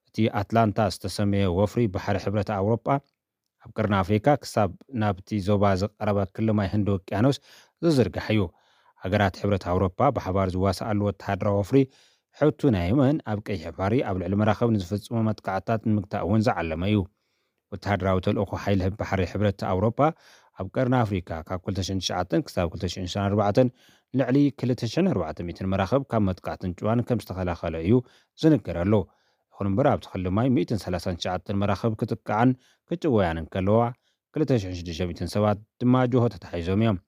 እቲ ኣትላንታ ዝተሰመየ ወፍሪ ባሕሪ ሕብረት ኣውሮፓ ኣብ ቀርኒ ኣፍሪካ ክሳብ ናብቲ ዞባ ዝቐረበ ክሊ ማይ ህንዲ ውቅያኖስ ዝዝርጋሕ እዩ። ሃገራት ሕብረት ኣውሮፓ ብሓባር ዝዋስኣሉ ወተሃደራዊ ወፍሪ ሕቱ ናይ የመን ኣብ ቀይሕ ባሕሪ ኣብ ልዕሊ መራኽብ ንዝፍጽሞ መጥቃዕትታት ንምግታእ እውን ዝዓለመ እዩ። ወተሃደራዊ ተልእኾ ሓይሊ ባሕሪ ሕብረት ኣውሮፓ ኣብ ቀርኒ ኣፍሪካ ካብ ክልተ ሽሕን ትሽዓተን ክሳብ ክልተ ሽሕን ዕስራን ኣርባዕተን ልዕሊ ክልተ ሽሕን ኣርባዕተ ሚእትን መራኽብ ካብ መጥቃዕትን ጭዋን ከም ዝተኸላኸለ እዩ ዝንገረሉ። ይኹን እምበር ኣብቲ ክሊ ማይ ሚእትን ሰላሳን ትሽዓተን መራኽብ ክጥቃዓን ክጭወያን እንከለዋ፣ ክልተ ሽሕን ሽዱሽተ ሚእትን ሰባት ድማ ጆሆ ተታሒዞም እዮም።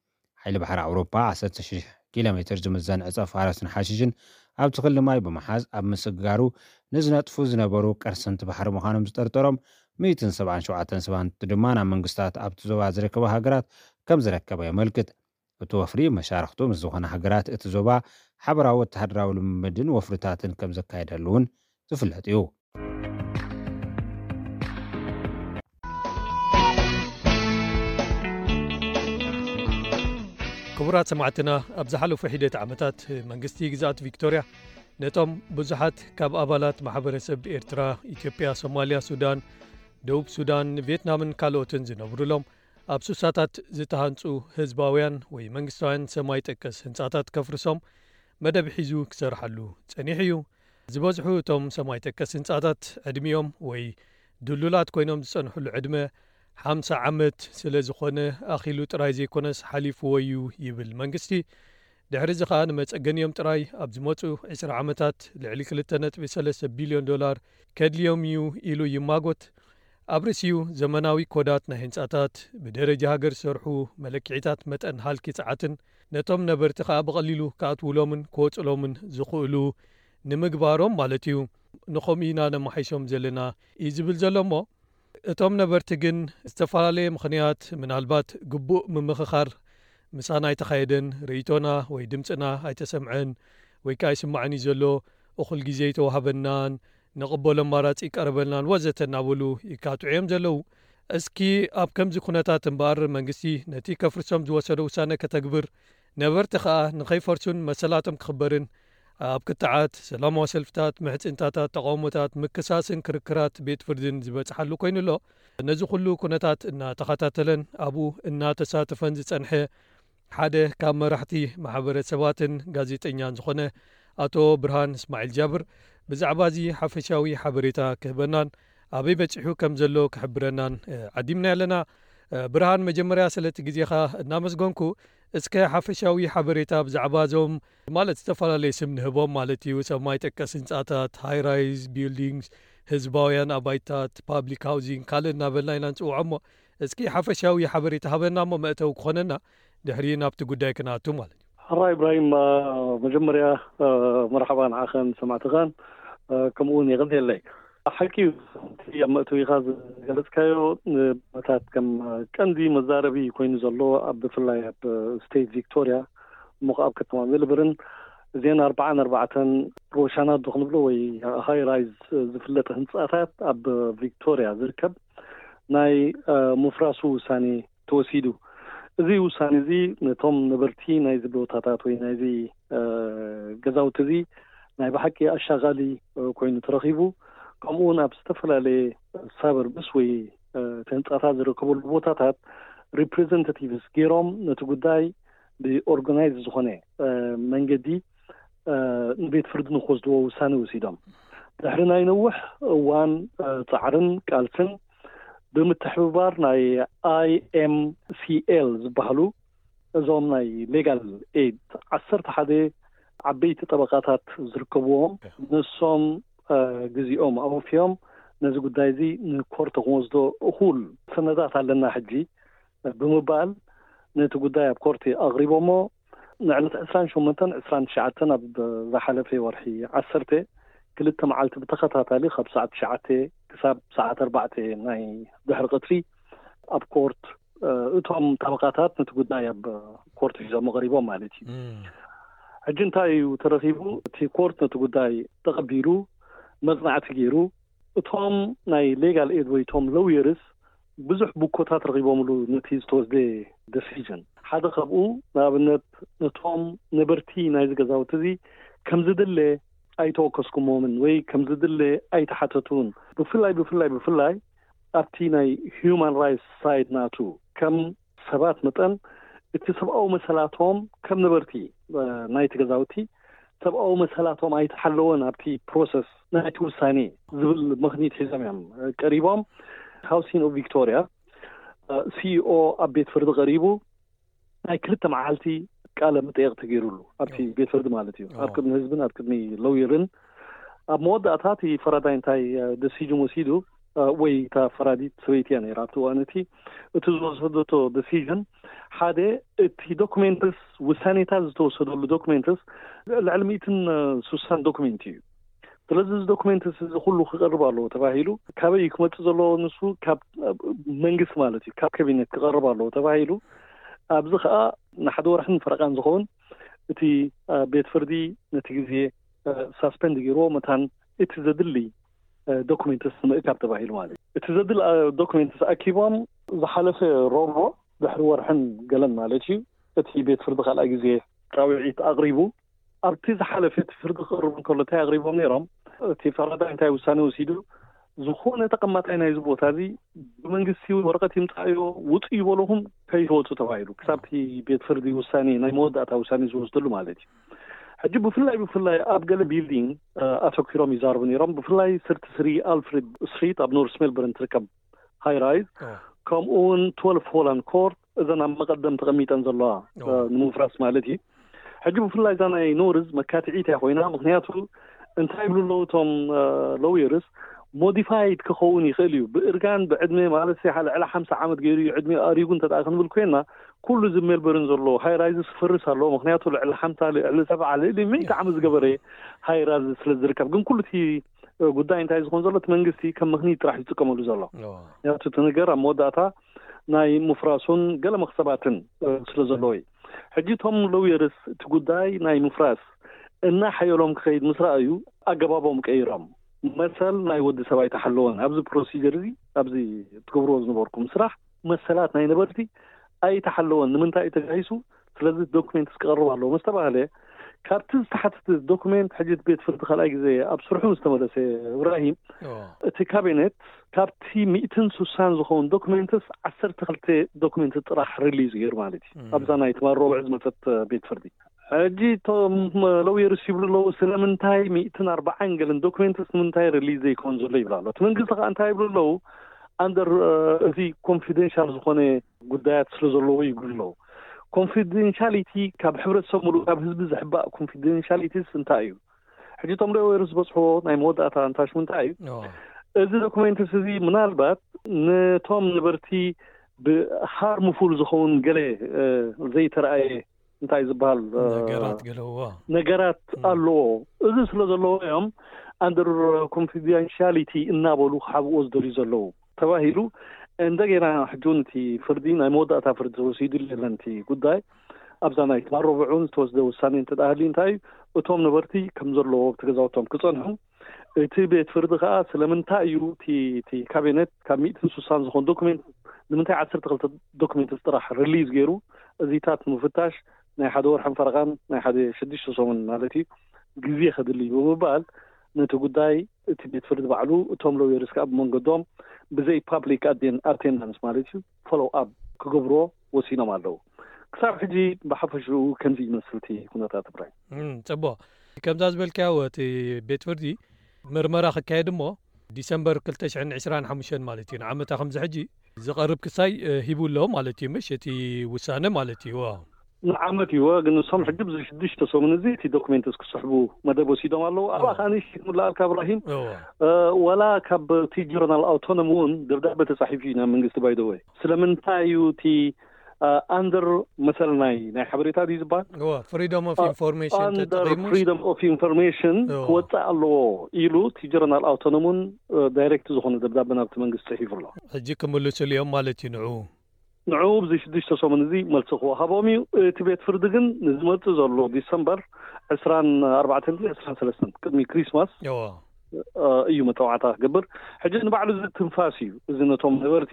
ሓይሊ ባሕሪ ኣውሮፓ ዓሰርተ ሽሕ ኪሎ ሜትር ዝምዘን ዕፀ ፋረስን ሓሽሽን ኣብቲ ክሊ ማይ ብምሓዝ ኣብ ምስግጋሩ ንዝነጥፉ ዝነበሩ ቀርሰንቲ ባሕሪ ምዃኖም ዝጠርጠሮም ሚእትን ሰብዓን ሸውዓተን ሰባት ድማ ናብ መንግስታት ኣብቲ ዞባ ዝርከባ ሃገራት ከም ዝረከበ የመልክት። እቲ ወፍሪ መሻርኽቱ ምስ ዝኾነ ሃገራት እቲ ዞባ ሓበራዊ ወተሃደራዊ ልምምድን ወፍርታትን ከም ዘካየደሉ እውን ዝፍለጥ እዩ። ክቡራት ሰማዕትና፣ ኣብ ዝሓለፉ ሒደት ዓመታት መንግስቲ ግዝኣት ቪክቶርያ ነቶም ብዙሓት ካብ ኣባላት ማሕበረሰብ ኤርትራ፣ ኢትዮጵያ፣ ሶማልያ፣ ሱዳን፣ ደቡብ ሱዳን፣ ቪየትናምን ካልኦትን ዝነብሩሎም ኣብ ሱሳታት ዝተሃንጹ ህዝባውያን ወይ መንግስታውያን ሰማይ ጠቀስ ህንጻታት ከፍርሶም መደብ ሒዙ ክሰርሓሉ ጸኒሑ እዩ። ዝበዝሑ እቶም ሰማይ ጠቀስ ህንጻታት ዕድሚኦም ወይ ድሉላት ኮይኖም ዝጸንሕሉ ዕድመ ሓምሳ ዓመት ስለ ዝኾነ ኣኺሉ ጥራይ ዘይኮነስ ሓሊፍዎ እዩ ይብል መንግስቲ። ድሕሪ እዚ ኸኣ ንመጸገኒኦም ጥራይ ኣብ ዝመጹ ዕስራ ዓመታት ልዕሊ ክልተ ነጥቢ ሰለስተ ቢልዮን ዶላር ከድልዮም እዩ ኢሉ ይማጎት። ኣብ ርእሲኡ ዘመናዊ ኮዳት ናይ ህንጻታት፣ ብደረጃ ሃገር ዝሰርሑ መለክዒታት መጠን ሃልኪ ጸዓትን ነቶም ነበርቲ ከኣ ብቐሊሉ ክኣትውሎምን ክወጽሎምን ዝኽእሉ ንምግባሮም ማለት እዩ። ንኸምኡ ኢና ነማሓይሾም ዘለና እዩ ዝብል ዘሎ እሞ፣ እቶም ነበርቲ ግን ዝተፈላለየ ምኽንያት፣ ምናልባት ግቡእ ምምኽኻር ምሳና ኣይተኻየደን፣ ርእይቶና ወይ ድምፅና ኣይተሰምዐን ወይ ከዓ ኣይስማዕን እዩ ዘሎ፣ እኹል ግዜ ኣይተዋህበናን፣ ንቕበሎ ኣማራፂ ይቀረበልናን ወዘተ እናበሉ ይካትዑ እዮም ዘለዉ። እስኪ ኣብ ከምዚ ኩነታት እምበኣር መንግስቲ ነቲ ከፍርሶም ዝወሰዶ ውሳነ ከተግብር፣ ነበርቲ ከኣ ንኸይፈርሱን መሰላቶም ክኽበርን ኣብ ክትዓት፣ ሰላማዊ ሰልፍታት፣ ምሕጽንታታት፣ ተቓውሞታት፣ ምክሳስን ክርክራት ቤት ፍርድን ዝበጽሓሉ ኮይኑ ኣሎ። ነዚ ኩሉ ኩነታት እናተኸታተለን ኣብኡ እናተሳተፈን ዝጸንሐ ሓደ ካብ መራሕቲ ማሕበረሰባትን ጋዜጠኛን ዝኾነ ኣቶ ብርሃን እስማዒል ጃብር ብዛዕባ እዚ ሓፈሻዊ ሓበሬታ ክህበናን ኣበይ በጺሑ ከም ዘሎ ክሕብረናን፣ እ፣ ዓዲምና ኣለና። እ፣ ብርሃን፣ መጀመርያ ስለቲ ግዜኻ እናመስገንኩ፣ እስከ ሓፈሻዊ ሓበሬታ ብዛዕባ እዞም፣ ማለት፣ ዝተፈላለየ ስም ንህቦም ማለት እዩ፣ ሰማይ ጠቀስ ህንጻታት፣ ሃይ ራይዝ ቢልዲንግስ፣ ህዝባውያን ኣባይታት፣ ፓብሊክ ሃውዚንግ፣ ካልእ እናበልና ኢና ንጽውዖ እሞ፣ እስኪ ሓፈሻዊ ሓበሬታ ሃበና እሞ መእተዊ ክኾነና፣ ድሕሪ ናብቲ ጉዳይ ክንኣቱ ማለት እዩ። ሕራይ ኢብራሂም፣ አ፣ መጀመርያ፣ አ፣ መርሓባ ንዓኸን ሰማዕትኻን፣ አ፣ ከምኡ እውን የቐንየለይ። ሓቂ እዩ፣ እቲ ኣብ መእተዊኻ ዝገለጽካዮ፣ እ፣ መታት ከም ቀንዲ መዛረቢ ኮይኑ ዘሎ፣ ኣብ ብፍላይ ኣብ ስቴት ቪክቶርያ፣ እሞ ኣብ ከተማ ሜልበርን፣ እዚአን ኣርባዓን ኣርባዕተን ሮሻናት ዶ ክንብሎ ወይ ሃይ ራይዝ ዝፍለጥ ህንጻታት ኣብ ቪክቶርያ ዝርከብ ናይ፣ እ፣ ምፍራሱ ውሳኔ ተወሲዱ። እዚ ውሳኔ እዚ ነቶም ነበርቲ ናይዚ ቦታታት ወይ ናይዚ፣ እ፣ ገዛውቲ እዚ ናይ ብሓቂ ኣሻቓሊ፣ እ፣ ኮይኑ ተረኺቡ። ከምኡ እውን ኣብ ዝተፈላለየ ሳበርብስ ወይ፣ እ፣ እቲ ህንጻታት ዝርከበሉ ቦታታት ሪፕሬዘንታቲቭስ ገይሮም ነቲ ጉዳይ ብኦርጋናይዝ ዝኾነ፣ እ፣ መንገዲ፣ እ፣ ንቤት ፍርዲ ንክወስድዎ ውሳኔ ወሲዶም። ድሕሪ ናይ ነዊሕ እዋን፣ እ፣ ጻዕርን ቃልስን ብምትሕብባር ናይ ኣይ ኤም ሲ ኤል ዝበሃሉ እዞም ናይ ሌጋል ኤድ ዓሰርተ ሓደ ዓበይቲ ጠበቃታት ዝርከብዎም፣ ንሶም፣ እ፣ ግዜኦም ኣወፍዮም ነዚ ጉዳይ እዚ ንኮርት ክንወስዶ እኹል ሰነዳት ኣለና ሕጂ ብምባል ነቲ ጉዳይ ኣብ ኮርት ኣቕሪቦሞ። ንዕለት ዕስራን ሸሞንተን ዕስራን ትሽዓተን ኣብ ዝሓለፈ ወርሒ ዓሰርተ ክልተ መዓልቲ ብተኸታታሊ ካብ ሰዓት ትሽዓተ ክሳብ ሰዓት ኣርባዕተ ናይ ድሕሪ ቀትሪ ኣብ ኮርት፣ እ፣ እቶም ጠበቃታት ነቲ ጉዳይ ኣብ ኮርት ሒዞም ቀሪቦም ማለት እዩ። እም። ሕጂ እንታይ እዩ ተረኺቡ? እቲ ኮርት ነቲ ጉዳይ ተቐቢሉ መጽናዕቲ ገይሩ፣ እቶም ናይ ሌጋል ኤድ ወይ እቶም ሎየርስ ብዙሕ ብኮታት ረኺቦምሉ ነቲ ዝተወስደ ደሲዥን። ሓደ ካብኡ ንኣብነት ነቶም ነበርቲ ናይዚ ገዛውቲ እዚ ከም ዝድለ ኣይተወከስኩሞምን ወይ ከም ዝድለ ኣይተሓተቱን። ብፍላይ፣ ብፍላይ፣ ብፍላይ ኣብቲ ናይ ሂዩማን ራይትስ ሳይድ ናቱ ከም ሰባት መጠን እቲ ሰብኣዊ መሰላቶም ከም ነበርቲ፣ እ፣ ናይቲ ገዛውቲ ሰብኣዊ መሰላቶም ኣይተሓለወን ኣብቲ ፕሮሰስ ናይቲ ውሳኔ ዝብል ምኽኒት ሒዞም እዮም፣ እ፣ ቀሪቦም። ሃውሲን ኦፍ ቪክቶርያ ሲኢኦ ኣብ ቤት ፍርዲ ቀሪቡ ናይ ክልተ መዓልቲ ቃለ መጠየቕ ተገይሩሉ ኣብቲ ቤት ፍርዲ ማለት እዩ። ኣብ ቅድሚ ህዝብን ኣብ ቅድሚ ለውየርን ኣብ መወዳእታ እቲ ፈራዳይ እንታይ ደሲጅን ወሲዱ ወይ እታ ፈራዲት ሰበይቲ እያ ነይራ ኣብቲ እዋን እቲ እቲ ዝወሰደቶ ደሲጅን ሓደ እቲ ዶክሜንትስ ውሳኔታት ዝተወሰደሉ ዶክሜንትስ ልዕሊ ሚእትን ስሳን ዶክሜንት እዩ። ስለዚ እዚ ዶክሜንትስ እዚ ኩሉ ክቀርብ ኣለዎ ተባሂሉ ካበይ እዩ ክመፅእ ዘለዎ? ንሱ ካብ መንግስቲ ማለት እዩ ካብ ካቢኔት ክቀርብ ኣለዎ ተባሂሉ ኣብዚ ከዓ ንሓደ ወርሕን ፈረቃን ዝኸውን እቲ ቤት ፍርዲ ነቲ ግዜ ሳስፔንድ ገይርዎ መታን እቲ ዘድሊ ዶክሜንትስ ንምእካብ ተባሂሉ ማለት እዩ። እቲ ዘድሊ ዶክሜንትስ ኣኪቦም ዝሓለፈ ሮቦ ድሕሪ ወርሕን ገለን ማለት እዩ እቲ ቤት ፍርዲ ካልኣይ ግዜ ፃውዒት ኣቕሪቡ ኣብቲ ዝሓለፈ እቲ ፍርዲ ክቕርብ እንከሎ እንታይ ኣቕሪቦም ነይሮም? እቲ ፈራዳይ እንታይ ውሳኔ ወሲዱ? ዝኾነ ተቐማጣይ ናይዚ ቦታ እዚ ብመንግስቲ ወረቐት ይምፃእዮ ውፁ ይበለኹም ከይትወፁ ተባሂሉ ክሳብቲ ቤት ፍርዲ ውሳኔ ናይ መወዳእታ ውሳኔ ዝወስደሉ ማለት እዩ። ሕጂ ብፍላይ ብፍላይ ኣብ ገለ ቢልዲንግ ኣተኪሮም ይዛርቡ ነይሮም። ብፍላይ ስርቲ ስሪ ኣልፍሬድ ስትሪት ኣብ ኖርስ ሜልበርን ትርከብ ሃይ ራይዝ ከምኡ እውን ትወልፍ ሆላንድ ኮርት እዘን ኣብ መቐደም ተቐሚጠን ዘለዋ ንምፍራስ ማለት እዩ። ሕጂ ብፍላይ እዛ ናይ ኖርዝ መካትዒት እያ ኮይና። ምክንያቱ እንታይ ይብሉ ኣለዉ እቶም ሎየርስ ሞዲፋይድ ክኸውን ይኽእል እዩ ብእርጋን ብዕድመ ማለት ልዕሊ ሓምሳ ዓመት ገይሩ እዩ ዕድመ ኣሪጉ እንተ ክንብል ኮይና ኩሉ እዚ ሜልበርን ዘሎ ሃይ ራይዝ ክፈርስ ኣለዎ። ምክንያቱ ልዕሊ ሓምሳ ልዕሊ ሰብዓ ልዕሊ ሚእቲ ዓመት ዝገበረ ሃይ ራይዝ ስለ ዝርከብ ግን ኩሉ እቲ ጉዳይ እንታይ ዝኮን ዘሎ እቲ መንግስቲ ከም ምክንያት ጥራሕ ዝጥቀመሉ ዘሎ ምክንያቱ እቲ ነገር ኣብ መወዳእታ ናይ ምፍራሱን ገለ መክሰባትን ስለ ዘለዎ እዩ። ሕጂ እቶም ሎየርስ እቲ ጉዳይ ናይ ምፍራስ እና ሓየሎም ክኸይድ ምስ ረኣዩ ኣገባቦም ቀይሮም መሰል ናይ ወዲ ሰብ ኣይተሓለወን ኣብዚ ፕሮሲጀር እዚ ኣብዚ ትገብርዎ ዝነበርኩም ስራሕ መሰላት ናይ ነበርቲ ኣይተሓለወን ንምንታይ እዩ ተጋሂሱ ስለዚ ዶክሜንትስ ክቐርብ ኣለዎ ምስ ተባህለ ካብቲ ዝተሓተተ ዶክሜንት ሕጂ እቲ ቤት ፍርዲ ካልኣይ ግዜ ኣብ ስርሑ ምስ ተመለሰ እብራሂም እቲ ካቢኔት ካብቲ ሚእትን ስሳን ዝኸውን ዶክሜንትስ ዓሰርተ ክልተ ዶክሜንት ጥራሕ ሪሊዝ ገይሩ ማለት እዩ ኣብዛ ናይ ትማል ረቡዕ ዝመፀት ቤት ፍርዲ ሕጂ እቶም ለውየርስ ይብሉ ኣለዉ ስለምንታይ ሚእትን ኣርባዓን ገለን ዶክሜንትስ ንምንታይ ሪሊዝ ዘይኮን ዘሎ ይብሉ ኣሎ እቲ መንግስቲ ከዓ እንታይ ይብሉ ኣለዉ ኣንደር እዚ ኮንፊደንሻል ዝኾነ ጉዳያት ስለ ዘለዎ ይብሉ ኣለዉ ኮንፊደንሻሊቲ ካብ ሕብረተሰብ ሙሉእ ካብ ህዝቢ ዝሕባእ ኮንፊደንሻሊቲስ እንታይ እዩ ሕጂ እቶም ለውየርስ ዝበፅሕዎ ናይ መወዳእታ ኣንታሽሙ እንታይ እዩ እዚ ዶክሜንትስ እዚ ምናልባት ነቶም ነበርቲ ብሃርምፉል ዝኸውን ገለ ዘይተረኣየ እንታይ ዝበሃል ነገራት ገለዎ ነገራት ኣለዎ እዚ ስለ ዘለዎ እዮም under confidentiality እናበሉ ክሓብእዎ ዝደልዩ ዘለዉ ተባሂሉ እንደገና ሕጂ እውን እቲ ፍርዲ ናይ መወዳእታ ፍርዲ ተወሲዱ የለን እቲ ጉዳይ ኣብዛ ናይ ትማል ረቡዕ እውን ዝተወስደ ውሳኔ እንተደኣ ሃልዩ እንታይ እዩ እቶም ነበርቲ ከም ዘለዎ ኣብቲ ገዛውቶም ክፀንሑ እቲ ቤት ፍርዲ ከዓ ስለምንታይ እዩ እቲ ካቢኔት ካብ ሚእትን ስሳን ዝኾን ዶክሜንት ንምንታይ ዓሰርተ ክልተ ዶክሜንት ጥራሕ ሪሊዝ ገይሩ እዚታት ንምፍታሽ ናይ ሓደ ወርሕን ፈረቓን ናይ ሓደ ሽዱሽተ ሰሙን ማለት እዩ ግዜ ከድሊ እዩ ብምባል ነቲ ጉዳይ እቲ ቤት ፍርዲ ባዕሉ እቶም ሎየርስ ከዓ ብመንገዶም ብዘይ ፓብሊክ ኣቴንዳንስ ማለት እዩ ፎሎው ኣፕ ክገብርዎ ወሲኖም ኣለዉ ክሳብ ሕጂ ብሓፈሽኡ ከምዚ ይመስል እቲ ኩነታት ትግራይ ፅቡቕ ከምዛ ዝበልካዮ እቲ ቤት ፍርዲ ምርመራ ክካየድ እሞ ዲሰምበር ክልተ ሽሕን ዕስራን ሓሙሽተን ማለት እዩ ንዓመታ ከምዚ ሕጂ ዝቐርብ ክሳይ ሂቡ ኣሎ ማለት እዩ ምሽ እቲ ውሳነ ማለት እዩ ንዓመት እዩ ግን ንሶም ሕጂ ብዚ ሽዱሽተ ሰሙን እዚ እቲ ዶክሜንትስ ክስሕቡ መደብ ወሲዶም ኣለዉ ኣብኣ ከዓ ንእሽተይ ክምልኣልካ እብራሂም ወላ ካብ እቲ ጆርናል ኣውቶኖሚ እውን ደብዳቤ ተፃሒፉ እዩ ናብ መንግስቲ ባይደወይ ስለምንታይ እዩ እቲ ኣንደር መሰል ናይ ናይ ሓበሬታ ድዩ ዝበሃል ፍሪደም ኦፍ ኢንፎርሜሽን ተጠቂሙ ፍሪደም ኦፍ ኢንፎርሜሽን ክወፅእ ኣለዎ ኢሉ እቲ ጀረናል ኣውቶኖሙን ዳይሬክት ዝኾነ ደብዳበ ናብቲ መንግስቲ ፅሒፉ ኣሎ ሕጂ ክምልስሉ እዮም ማለት እዩ ንዑ ንዑ ብዚ ሽዱሽተ ሰሙን እዚ መልሲ ክወሃቦም እዩ እቲ ቤት ፍርዲ ግን ንዝመፅእ ዘሎ ዲሰምበር ዕስራን ኣርባዕተን ዕስራን ሰለስተን ቅድሚ ክሪስማስ እዩ መጠዋዕታ ክገብር ሕጂ ንባዕሉ እዚ ትንፋስ እዩ እዚ ነቶም ነበርቲ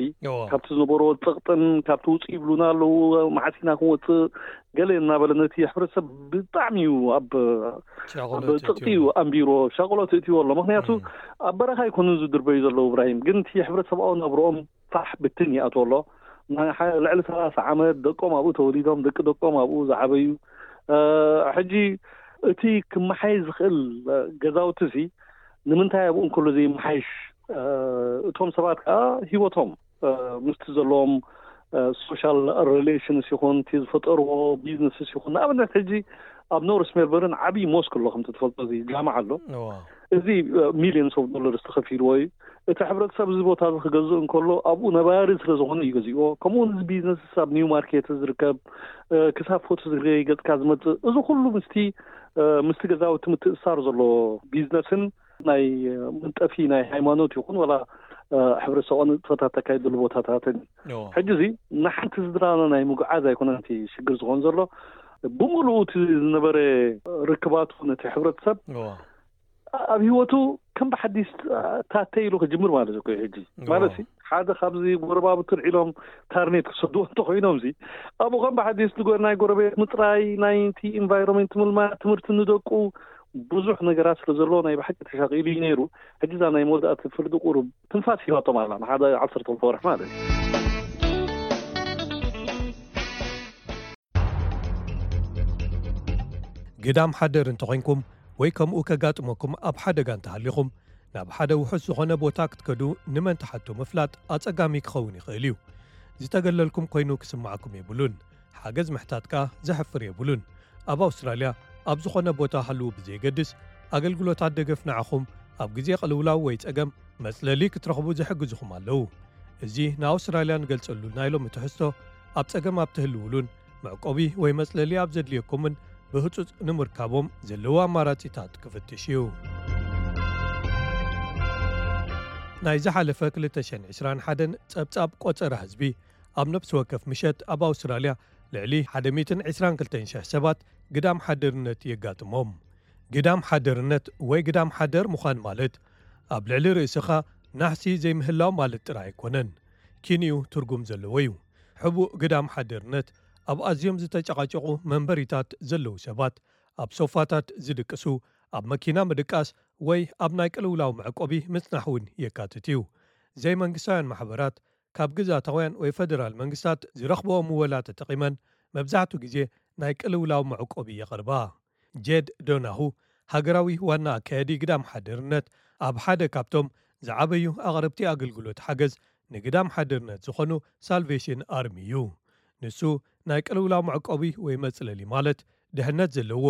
ካብቲ ዝነበርዎ ፀቕጥን ካብቲ ውፅእ ይብሉና ኣለዉ መዓሲና ክንወፅእ ገለ እናበለ ነቲ ሕብረተሰብ ብጣዕሚ እዩ ኣብ ኣብ ፀቕጢ እዩ ኣንቢርዎ ሻቆሎት እእትዎ ኣሎ ምክንያቱ ኣብ በረኻ ኣይኮኑን ዝድርበዩ ዘለዉ እብራሂም ግን እቲ ሕብረተሰብኣዊ ነብርኦም ፋሕ ብትን ይኣትዎ ኣሎ ልዕሊ ሰላሳ ዓመት ደቆም ኣብኡ ተወሊዶም ደቂ ደቆም ኣብኡ ዝዓበዩ ሕጂ እቲ ክመሓየሽ ዝኽእል ገዛውቲ ሲ ንምንታይ ኣብኡ እንከሎ ዘይመሓይሽ እቶም ሰባት ከዓ ሂወቶም ምስቲ ዘለዎም social relations ይኹን እቲ ዝፈጠርዎ ቢዝነስስ ይኹን፣ ንኣብነት ሕጂ ኣብ ኖርስ ሜልበርን ዓብዪ ሞስክ ኣሎ፣ ከምቲ ትፈልጦ እዚ ጃምዓ ኣሎ። እዚ ሚሊዮንስ ኦፍ ዶላርስ ተኸፊልዎ እዩ። እቲ ሕብረተሰብ እዚ ቦታ እዚ ክገዝእ እንከሎ ኣብኡ ነባሪ ስለ ዝኾነ እዩ ገዚእዎ። ከምኡ እውን እዚ ቢዝነስስ ኣብ ኒው ማርኬት ዝርከብ፣ ክሳብ ፎቶ ዝርገይ ገፅካ ዝመፅእ፣ እዚ ኩሉ ምስቲ ምስቲ ገዛውቲ ምትእስሳር ዘለዎ ቢዝነስን ናይ መንጠፊ ናይ ሃይማኖት ይኹን ወላ ሕብረተሰባዊ ንጥፈታት ተካይደሉ ቦታታትን። ሕጂ እዚ ንሓንቲ ስድራና ናይ ምጉዓዝ ኣይኮነን እቲ ሽግር ዝኾን ዘሎ፣ ብምሉኡ እቲ ዝነበረ ርክባቱ ነቲ ሕብረተሰብ ኣብ ህይወቱ ከም ብሓዲስ ታተ ኢሉ ክጅምር ማለት እኮ እዩ። ሕጂ ማለት ሲ ሓደ ካብዚ ጎረባብቱ ልዒሎም ታርኔት ክሰድዎ እንተኮይኖም ዚ ኣብኡ ከም ብሓዲስ ዝጎ-፣ ናይ ጎረቤት ምፅራይ፣ ናይ እቲ ኢንቫይሮንመንት ምልማድ፣ ትምህርቲ ንደቁ፣ ብዙሕ ነገራት ስለ ዘለዎ ናይ ብሓቂ ተሻቂሉ እዩ ነይሩ። ሕጂ እዛ ናይ መወዳእቲ ፍርዲ ቁሩብ ትንፋስ ሂባቶም ኣላ፣ ንሓደ ዓሰርተ ክልተ ወርሒ ማለት እዩ። ግዳም ሓደር እንተኾይንኩም ወይ ከምኡ ከጋጥመኩም ኣብ ሓደጋ እንተሃሊኹም፣ ናብ ሓደ ውሑስ ዝኾነ ቦታ ክትከዱ ንመን ትሓቱ ምፍላጥ ኣጸጋሚ ክኸውን ይኽእል እዩ። ዝተገለልኩም ኮይኑ ክስምዓኩም የብሉን። ሓገዝ ምሕታት ከኣ ዘሕፍር የብሉን። ኣብ ኣውስትራልያ ኣብ ዝኾነ ቦታ ሃልዉ ብዘየገድስ፣ ኣገልግሎታት ደገፍ ንዓኹም ኣብ ግዜ ቅልውላው ወይ ጸገም መጽለሊ ክትረኽቡ ዝሕግዙኹም ኣለዉ። እዚ ንኣውስትራልያ ንገልጸሉ ናይ ሎሚ ትሕዝቶ፣ ኣብ ጸገም ኣብ ትህልውሉን መዕቆቢ ወይ መጽለሊ ኣብ ዘድልየኩምን ብህጹጽ ንምርካቦም ዘለዉ ኣማራጺታት ክፍትሽ እዩ። ናይ ዝሓለፈ ክልተ ሽሕን ዕስራን ሓደን ጸብጻብ ቆጸራ ህዝቢ፣ ኣብ ነፍሲ ወከፍ ምሸት ኣብ ኣውስትራልያ ልዕሊ ሓደ ሚእትን ዕስራን ክልተን ሽሕ ሰባት ግዳም ሓደርነት የጋጥሞም። ግዳም ሓደርነት ወይ ግዳም ሓደር ምዃን ማለት ኣብ ልዕሊ ርእስኻ ናሕሲ ዘይምህላው ማለት ጥራይ ኣይኮነን። ኪንኡ ትርጉም ዘለዎ እዩ። ሕቡእ ግዳም ሓደርነት ኣብ ኣዝዮም ዝተጨቓጨቑ መንበሪታት ዘለዉ ሰባት፣ ኣብ ሶፋታት ዝድቅሱ፣ ኣብ መኪና ምድቃስ ወይ ኣብ ናይ ቅልውላው መዕቆቢ ምጽናሕ እውን የካትት እዩ። ዘይመንግስታውያን ማሕበራት ካብ ግዝኣታውያን ወይ ፈደራል መንግስታት ዝረኽብኦ ምወላ ተጠቒመን መብዛሕትኡ ግዜ ናይ ቅልውላው መዕቆቢ የቕርባ። ጄድ ዶናሁ፣ ሃገራዊ ዋና ኣካያዲ ግዳም ሓደርነት፣ ኣብ ሓደ ካብቶም ዝዓበዩ ኣቕረብቲ ኣገልግሎት ሓገዝ ንግዳም ሓደርነት ዝኾኑ ሳልቬሽን ኣርሚ እዩ። ንሱ ናይ ቅልውላው መዕቆቢ ወይ መጽለሊ ማለት ድሕነት ዘለዎ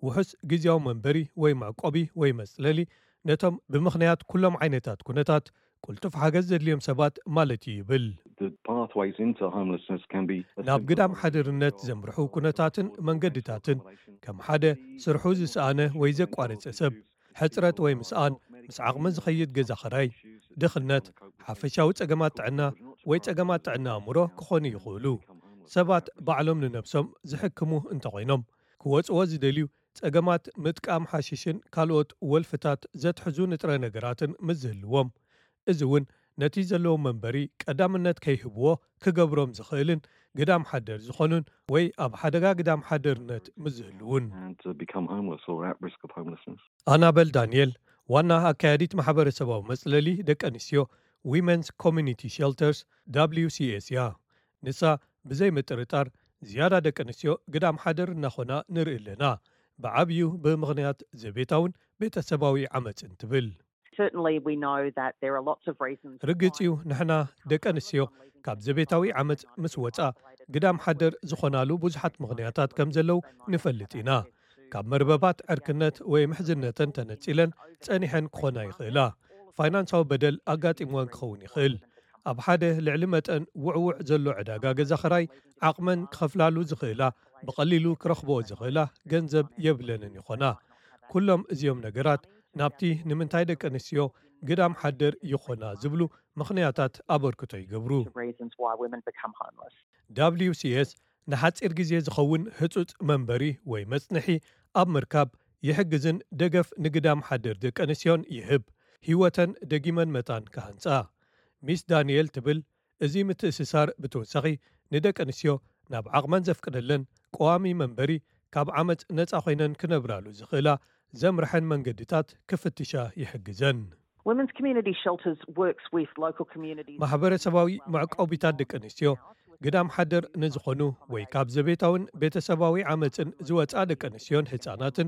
ውሑስ ግዝያዊ መንበሪ ወይ መዕቆቢ ወይ መጽለሊ ነቶም ብምኽንያት ኩሎም ዓይነታት ኩነታት ቅልጡፍ ሓገዝ ዘድልዮም ሰባት ማለት እዩ ይብል። The pathways into homelessness can be as ናብ simple ግዳም as ሓደርነት ዘምርሑ ኩነታትን መንገድታትን ከም ሓደ ስርሑ ዝሰኣነ ወይ ዘቋረጸ ሰብ፣ ሕጽረት ወይ ምስኣን፣ ምስ ዓቕሚ ዝኸይድ ገዛ ኸራይ፣ ድኽነት፣ ሓፈሻዊ ጸገማት ጥዕና ወይ ጸገማት ጥዕና ኣእምሮ ክኾኑ ይኽእሉ። ሰባት ባዕሎም ንነብሶም ዝሕክሙ እንተኾይኖም፣ ክወጽዎ ዝደልዩ ጸገማት ምጥቃም ሓሽሽን ካልኦት ወልፍታት ዘትሕዙ ንጥረ ነገራትን ምስ ዝህልዎም፣ እዚ እውን ነቲ ዘለዎም መንበሪ ቀዳምነት ከይህብዎ ክገብሮም ዝኽእልን ግዳም ሓደር ዝኾኑን ወይ ኣብ ሓደጋ ግዳም ሓደርነት ምስ ዝህልውን። And to become homeless or at risk of homelessness. ኣናበል ዳንኤል፣ ዋና ኣካያዲት ማሕበረሰባዊ መጽለሊ ደቂ ኣንስትዮ፣ ዊመንስ ኮሚኒቲ ሸልተርስ፣ ደብሊው ሲ ኤስ፣ እያ። ንሳ፣ ብዘይ ምጥርጣር ዝያዳ ደቂ ኣንስትዮ ግዳም ሓደር እናኾና ንርኢ ኣለና፣ ብዓብዩ ብምኽንያት ዘቤታውን ቤተሰባዊ ዓመፅን ትብል። Certainly, we know that there are lots of reasons why ርግጽ እዩ፣ ንሕና ደቂ ኣንስትዮ ካብ ዘቤታዊ ዓመጽ ምስ ወጻ ግዳም ሓደር ዝኾናሉ ብዙሓት ምኽንያታት ከም ዘለዉ ንፈልጥ ኢና። ካብ መርበባት ዕርክነት ወይ ምሕዝነተን ተነጺለን ጸኒሐን ክኾና ይኽእላ። ፋይናንሳዊ በደል ኣጋጢምወን ክኸውን ይኽእል። ኣብ ሓደ ልዕሊ መጠን ውዕውዕ ዘሎ ዕዳጋ ገዛ ኽራይ ዓቕመን ክኸፍላሉ ዝኽእላ፣ ብቐሊሉ ክረኽብኦ ዝኽእላ ገንዘብ የብለንን ይኾና። ኩሎም እዚኦም ነገራት ናብቲ ንምንታይ ደቂ ኣንስትዮ ግዳም ሓደር ይኾና ዝብሉ ምኽንያታት ኣበርክቶ ይገብሩ። Reasons why women become homeless. ደብሊው ሲ ኤስ ንሓጺር ግዜ ዝኸውን ህጹጽ መንበሪ ወይ መጽንሒ ኣብ ምርካብ ይሕግዝን ደገፍ ንግዳም ሓደር ደቂ ኣንስትዮን ይህብ፣ ህይወተን ደጊመን መታን ክሃንጻ። ሚስ ዳንኤል ትብል፣ እዚ ምትእስሳር ብተወሳኺ ንደቂ ኣንስትዮ ናብ ዓቕመን ዘፍቅደለን ቀዋሚ መንበሪ ካብ ዓመጽ ነጻ ኮይነን ክነብራሉ ዝኽእላ ዘምርሐን መንገድታት ክፍትሻ ይሕግዘን። Women's Community Shelters works with local communities. ማሕበረሰባዊ መዕቆቢታት ደቂ ኣንስትዮ ግዳም ሓደር ንዝኾኑ ወይ ካብ ዘቤታውን ቤተሰባዊ ዓመፅን ዝወፃ ደቂ ኣንስትዮን ህፃናትን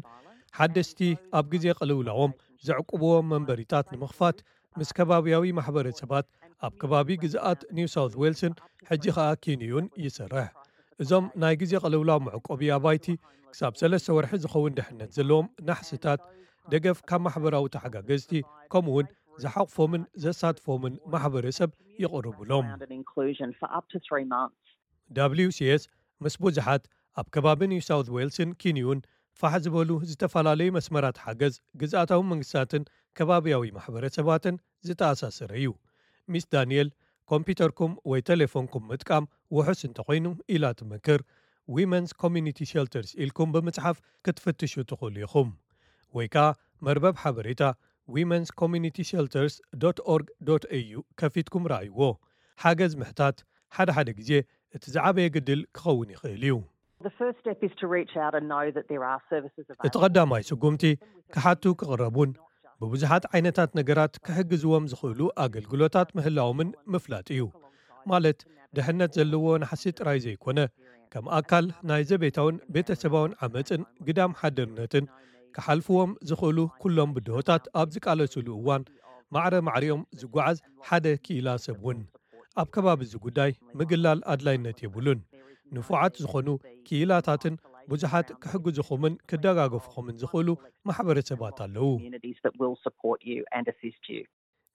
ሓደስቲ ኣብ ግዜ ቅልውላዎም ዘዕቁብዎም መንበሪታት ንምኽፋት ምስ ከባብያዊ ማሕበረሰባት ኣብ ከባቢ ግዝኣት ኒው ሳውት ዌልስን ሕጂ ኸኣ ኪንዩን ይሰርሕ። እዞም ናይ ግዜ ቅልውላው መዕቆቢ ኣባይቲ ክሳብ ሰለስተ ወርሒ ዝኸውን ድሕነት ዘለዎም ናሕስታት፣ ደገፍ ካብ ማሕበራዊ ተሓጋገዝቲ፣ ከምኡውን ዝሓቕፎምን ዘሳትፎምን ማሕበረሰብ ይቕርቡሎም። Inclusion for up to three months. ደብሊው ሲ ኤስ ምስ ብዙሓት ኣብ ከባቢ ኒው ሳውት ዌልስን ኪንዩን ፋሕ ዝበሉ ዝተፈላለዩ መስመራት ሓገዝ ግዝኣታዊ መንግስታትን ከባብያዊ ማሕበረሰባትን ዝተኣሳሰረ እዩ። ሚስ ዳንኤል፣ ኮምፒውተርኩም ወይ ቴሌፎንኩም ምጥቃም ውሑስ እንተኾይኑ ኢላ ትመክር። ዊመንስ ኮሚኒቲ ሸልተርስ ኢልኩም ብምጽሓፍ ክትፍትሹ ትኽእሉ ኢኹም። ወይ ከኣ መርበብ ሓበሬታ ዊመንስ ኮሚኒቲ ሸልተርስ ዶት ኦርግ ዶት ኤዩ ከፊትኩም ረኣይዎ። ሓገዝ ምሕታት ሓደ ሓደ ግዜ እቲ ዝዓበየ ግድል ክኸውን ይኽእል እዩ። The first step is to reach out and know that there are services እቲ ቀዳማይ ስጉምቲ ክሓቱ ክቕረቡን ብብዙሓት ዓይነታት ነገራት ክሕግዝዎም ዝኽእሉ ኣገልግሎታት ምህላዎምን ምፍላጥ እዩ። ማለት ድሕነት ዘለዎ ናሕሲ ጥራይ ዘይኮነ፣ ከም ኣካል ናይ ዘቤታውን ቤተሰባውን ዓመፅን ግዳም ሓደርነትን ክሓልፍዎም ዝኽእሉ ኩሎም ብድሆታት ኣብ ዝቃለሱሉ እዋን ማዕረ ማዕሪኦም ዝጓዓዝ ሓደ ክኢላ ሰብ እውን። ኣብ ከባቢ እዚ ጉዳይ ምግላል ኣድላይነት የብሉን። ንፉዓት ዝኾኑ ክኢላታትን ብዙሓት ክሕግዝኹምን ክደጋገፉኹምን ዝኽእሉ ማሕበረሰባት ኣለዉ። Communities that will support you and assist you.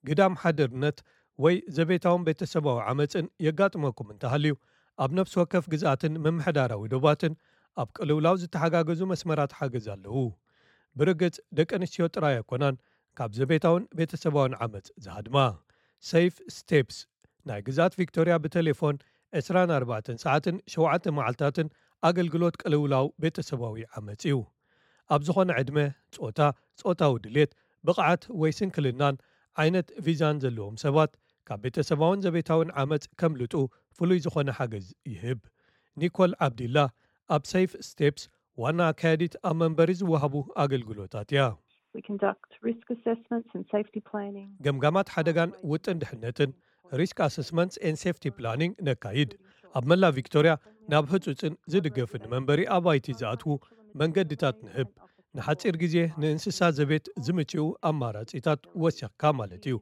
ግዳም ሓደርነት ወይ ዘቤታውን ቤተሰባዊ ዓመፅን የጋጥመኩም እንተሃልዩ፣ ኣብ ነፍሲ ወከፍ ግዝኣትን ምምሕዳራዊ ዶባትን ኣብ ቅልውላው ዝተሓጋገዙ መስመራት ሓገዝ ኣለዉ። ብርግጽ ደቂ ኣንስትዮ ጥራይ ኣይኮናን ካብ ዘቤታውን ቤተሰባውን ዓመፅ ዝሃድማ። ሴፍ ስቴፕስ ናይ ግዝኣት ቪክቶርያ ብቴሌፎን ዕስራን ኣርባዕተን ሰዓትን ሸውዓተ መዓልታትን ኣገልግሎት ቅልውላው ቤተሰባዊ ዓመፅ እዩ። ኣብ ዝኾነ ዕድመ፣ ጾታ፣ ጾታዊ ድሌት፣ ብቕዓት ወይ ስንክልናን ዓይነት ቪዛን ዘለዎም ሰባት ካብ ቤተሰባውን ዘቤታውን ዓመፅ ከምልጡ ፍሉይ ዝኾነ ሓገዝ ይህብ። ኒኮል ዓብዲላ ኣብ ሴፍ ስቴፕስ ዋና ኣካያዲት ኣብ መንበሪ ዝወሃቡ ኣገልግሎታት እያ። We conduct risk assessments and safety planning. ገምጋማት ሓደጋን ውጥን ድሕነትን፣ Risk Assessments and Safety Planning፣ ነካይድ። ኣብ መላ ቪክቶርያ ናብ ህጹጽን ዝድገፍን መንበሪ ኣባይቲ ዝኣትዉ መንገድታት ንህብ። ንሓጺር ግዜ ንእንስሳ ዘቤት ዝምችኡ ኣማራጺታት ወሲኽካ ማለት እዩ።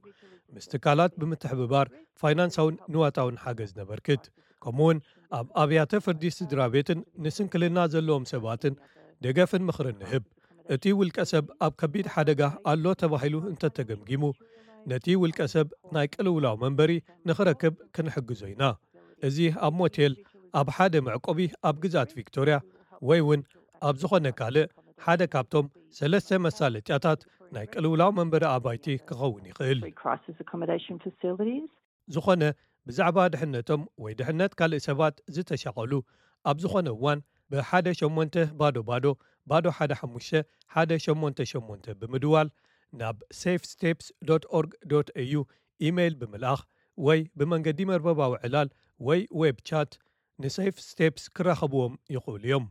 ምስ ትካላት ብምትሕብባር ፋይናንሳውን ንዋታውን ሓገዝ ነበርክት። ከምኡውን ኣብ ኣብያተ ፍርዲ ስድራ ቤትን ንስንክልና ዘለዎም ሰባትን ደገፍን ምኽርን ንህብ። እቲ ውልቀ ሰብ ኣብ ከቢድ ሓደጋ ኣሎ ተባሂሉ እንተተገምጊሙ፣ ነቲ ውልቀ ሰብ ናይ ቅልውላው መንበሪ ንኽረክብ ክንሕግዞ ኢና። እዚ ኣብ ሞቴል፣ ኣብ ሓደ መዕቆቢ ኣብ ግዝኣት ቪክቶርያ፣ ወይ እውን ኣብ ዝኾነ ካልእ ሓደ ካብቶም ሰለስተ መሳለጥያታት ናይ ቅልውላው መንበሪ ኣባይቲ ክኸውን ይኽእል። Crisis accommodation facilities. ዝኾነ ብዛዕባ ድሕነቶም ወይ ድሕነት ካልእ ሰባት ዝተሻቐሉ ኣብ ዝኾነ እዋን ብሓደ ሸሞንተ ባዶ ባዶ ባዶ ሓደ ሓሙሽተ ሓደ ሸሞንተ ሸሞንተ ብምድዋል ናብ safesteps dot org dot au ኢሜይል ብምልኣኽ ወይ ብመንገዲ መርበባዊ ዕላል ወይ ዌብ ቻት ንሴፍ ስቴፕስ ክራኸብዎም ይኽእሉ እዮም።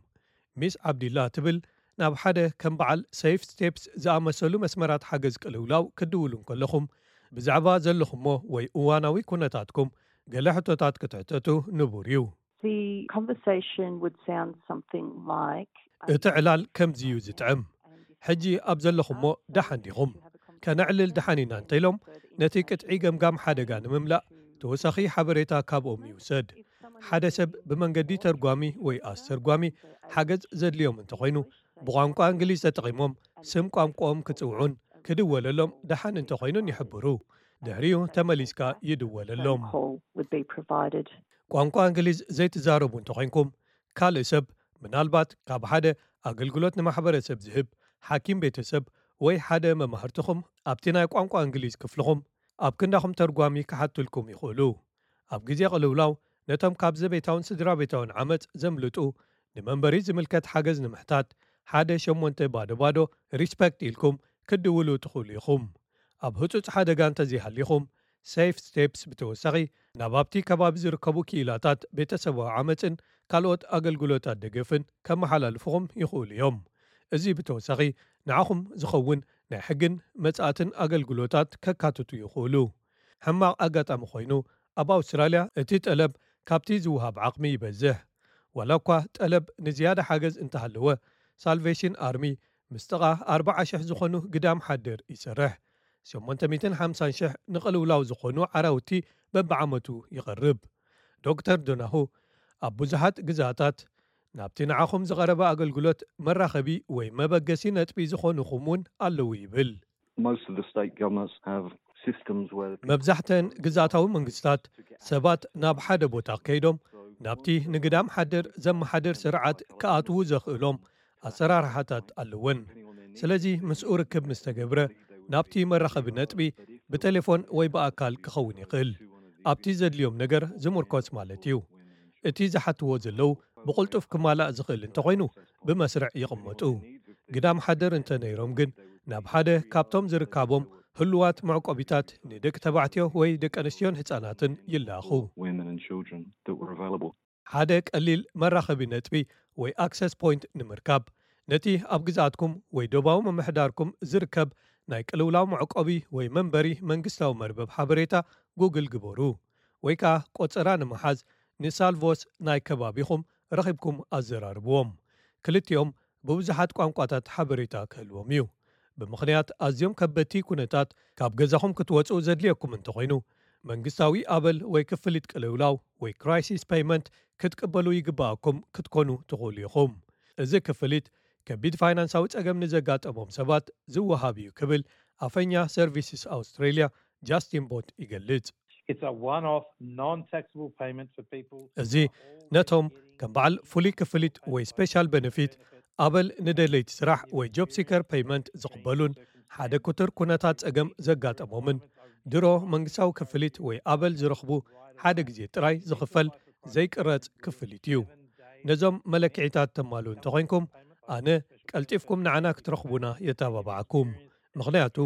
ሚስ ዓብዲላ ትብል፣ ናብ ሓደ ከም በዓል ሴፍ ስቴፕስ ዝኣመሰሉ መስመራት ሓገዝ ቅልውላው ክትድውሉ እንከለኹም ብዛዕባ ዘለኹሞ ወይ እዋናዊ ኩነታትኩም ገለ ሕቶታት ክትሕተቱ ንቡር እዩ። The conversation would sound something like እቲ ዕላል ከምዚ እዩ ዝጥዕም። ሕጂ ኣብ ዘለኹሞ ደሓን ዲኹም? ከነዕልል ደሓን ኢና እንተኢሎም፣ ነቲ ቅጥዒ ገምጋም ሓደጋ ንምምላእ ተወሳኺ ሓበሬታ ካብኦም ይውሰድ። ሓደ ሰብ ብመንገዲ ተርጓሚ ወይ ኣስተርጓሚ ሓገዝ ዘድልዮም እንተኾይኑ፣ ብቋንቋ እንግሊዝ ተጠቒሞም ስም ቋንቋኦም ክጽውዑን ክድወለሎም ደሓን እንተኾይኑን ይሕብሩ። ድሕሪኡ ተመሊስካ ይድወለሎም። Call would be provided. ቋንቋ እንግሊዝ ዘይትዛረቡ እንተኾይንኩም፣ ካልእ ሰብ፣ ምናልባት ካብ ሓደ ኣገልግሎት ንማሕበረሰብ ዝህብ ሓኪም ቤተሰብ ወይ ሓደ መማህርትኹም ኣብቲ ናይ ቋንቋ እንግሊዝ ክፍልኹም ኣብ ክንዳኹም ተርጓሚ ክሓትልኩም ይኽእሉ። ኣብ ግዜ ቅልውላው ነቶም ካብ ዘቤታውን ስድራ ቤታውን ዓመጽ ዘምልጡ ንመንበሪ ዝምልከት ሓገዝ ንምሕታት ሓደ ሸሞንተ ባዶ ባዶ ሪስፐክት ኢልኩም ክትድውሉ ትኽእሉ ኢኹም። ኣብ ህጹጽ ሓደጋ እንተዘይሃሊኹም፣ ሴፍ ስቴፕስ ብተወሳኺ ናብ ኣብቲ ከባቢ ዝርከቡ ክኢላታት ቤተሰባዊ ዓመጽን ካልኦት ኣገልግሎታት ደገፍን ከመሓላልፉኹም ይኽእሉ እዮም። እዚ ብተወሳኺ ንዓኹም ዝኸውን ናይ ሕግን መጻእትን ኣገልግሎታት ከካትቱ ይኽእሉ። ሕማቕ ኣጋጣሚ ኮይኑ፣ ኣብ ኣውስትራልያ እቲ ጠለብ ካብቲ ዝወሃብ ዓቕሚ ይበዝሕ። ዋላ እኳ ጠለብ ንዝያዳ ሓገዝ እንተሃለወ፣ ሳልቬሽን ኣርሚ ምስ ጥቓ ኣርባዓ ሽሕ ዝኾኑ ግዳም ሓደር ይሰርሕ። ሸሞንተ ሚእትን ሓምሳን ሽሕ ንቕልውላው ዝኾኑ ዓራውቲ በብዓመቱ ይቐርብ። ዶክተር ዶናሁ ኣብ ብዙሓት ግዛታት ናብቲ ንዓኹም ዝቐረበ ኣገልግሎት መራኸቢ ወይ መበገሲ ነጥቢ ዝኾኑኹም እውን ኣለዉ ይብል። Most of the state governments have systems where the መብዛሕተን ግዛታዊ መንግስታት ሰባት ናብ ሓደ ቦታ ከይዶም ናብቲ ንግዳም ሓደር ዘመሓደር ስርዓት ክኣትዉ ዘኽእሎም ኣሰራርሓታት ኣለወን። ስለዚ ምስኡ ርክብ ምስ ተገብረ ናብቲ መራኸቢ ነጥቢ ብቴሌፎን ወይ ብኣካል ክኸውን ይኽእል። ኣብቲ ዘድልዮም ነገር ዝምርኮስ ማለት እዩ። እቲ ዝሓትዎ ዘለዉ ብቕልጡፍ ክማላእ ዝኽእል እንተኾይኑ ብመስርዕ ይቕመጡ። ግዳም ሓደር እንተነይሮም ግን ናብ ሓደ ካብቶም ዝርካቦም ህሉዋት መዕቆቢታት ንደቂ ተባዕትዮ ወይ ደቂ ኣንስትዮን ህፃናትን ይላኹ። Women and children that were available. ሓደ ቀሊል መራኸቢ ነጥቢ ወይ ኣክሰስ ፖይንት ንምርካብ ነቲ ኣብ ግዛትኩም ወይ ዶባዊ ምምሕዳርኩም ዝርከብ ናይ ቅልውላው መዕቆቢ ወይ መንበሪ መንግስታዊ መርበብ ሓበሬታ ጉግል ግበሩ። ወይ ከኣ ቆጸራ ንምሓዝ ንሳልቮስ ናይ ከባቢኹም ረኺብኩም ኣዘራርብዎም። ክልቲኦም ብብዙሓት ቋንቋታት ሓበሬታ ክህልዎም እዩ። ብምኽንያት ኣዝዮም ከበድቲ ኩነታት ካብ ገዛኹም ክትወጽኡ ዘድልየኩም እንተኾይኑ መንግስታዊ ኣበል ወይ ክፍሊት ቅልውላው ወይ ክራይሲስ ፔይመንት ክትቅበሉ ይግባኣኩም ክትኮኑ ትኽእሉ ኢኹም። እዚ ክፍሊት ከቢድ ፋይናንሳዊ ጸገም ንዘጋጠሞም ሰባት ዝወሃብ እዩ ክብል ኣፈኛ ሰርቪስስ ኣውስትሬልያ ጃስቲን ቦት ይገልጽ። It's a one-off, non-taxable payment for people. እዚ ነቶም ከም በዓል ፍሉይ ክፍሊት ወይ ስፔሻል በነፊት ኣበል ንደለይቲ ስራሕ ወይ ጆብ ሲከር ፔይመንት ዝቕበሉን ሓደ ክቱር ኩነታት ጸገም ዘጋጠሞምን ድሮ መንግስታዊ ክፍሊት ወይ ኣበል ዝረኽቡ ሓደ ግዜ ጥራይ ዝኽፈል ዘይቅረጽ ክፍሊት እዩ። ነዞም መለክዒታት ተማሉ እንተኾይንኩም ኣነ ቀልጢፍኩም ንዓና ክትረኽቡና የተባባዓኩም። ምኽንያቱ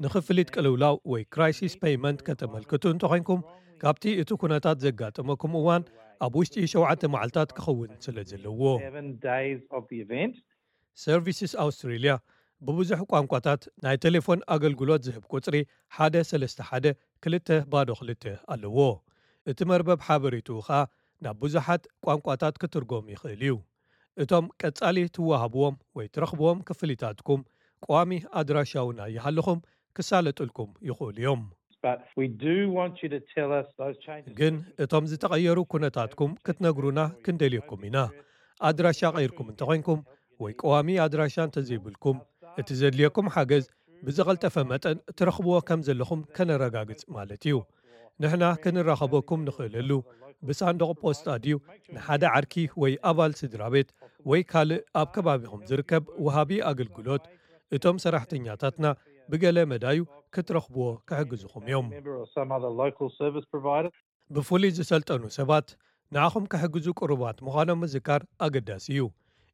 ንኽፍሊት ቅልውላው ወይ ክራይሲስ ፔይመንት ከተመልክቱ እንተኾይንኩም ካብቲ እቲ ኩነታት ዘጋጠመኩም እዋን ኣብ ውሽጢ ሸውዓተ መዓልታት ክኸውን ስለ ዘለዎ። Seven days of the event. ሰርቪስስ ኣውስትሬልያ ብብዙሕ ቋንቋታት ናይ ቴሌፎን ኣገልግሎት ዝህብ ቁጽሪ ሓደ ሰለስተ ሓደ ክልተ ባዶ ክልተ ኣለዎ። እቲ መርበብ ሓበሬትኡ ኸኣ ናብ ብዙሓት ቋንቋታት ክትርጎም ይኽእል እዩ። እቶም ቀጻሊ ትወሃብዎም ወይ ትረኽብዎም ክፍሊታትኩም ቀዋሚ ኣድራሻውና ይሃልኹም ክሳለጡልኩም ይኽእሉ እዮም። But we do want you to tell us those changes. ግን እቶም ዝተቐየሩ ኩነታትኩም ክትነግሩና ክንደልየኩም ኢና። ኣድራሻ ቀይርኩም እንተኾይንኩም ወይ ቀዋሚ ኣድራሻ እንተዘይብልኩም እቲ ዘድልየኩም ሓገዝ ብዝቐልጠፈ መጠን ትረኽብዎ ከም ዘለኹም ከነረጋግጽ ማለት እዩ። ንሕና ክንራኸበኩም ንኽእለሉ ብሳንዱቕ ፖስጣ ድዩ ንሓደ ዓርኪ ወይ ኣባል ስድራ ቤት ወይ ካልእ ኣብ ከባቢኹም ዝርከብ ወሃቢ ኣገልግሎት እቶም ሰራሕተኛታትና ብገለ መዳዩ ክትረኽብዎ ክሕግዝኹም እዮም። Member or some other local service provider. ብፍሉይ ዝሰልጠኑ ሰባት ንዓኹም ክሕግዙ ቅሩባት ምዃኖም ምዝካር ኣገዳሲ እዩ።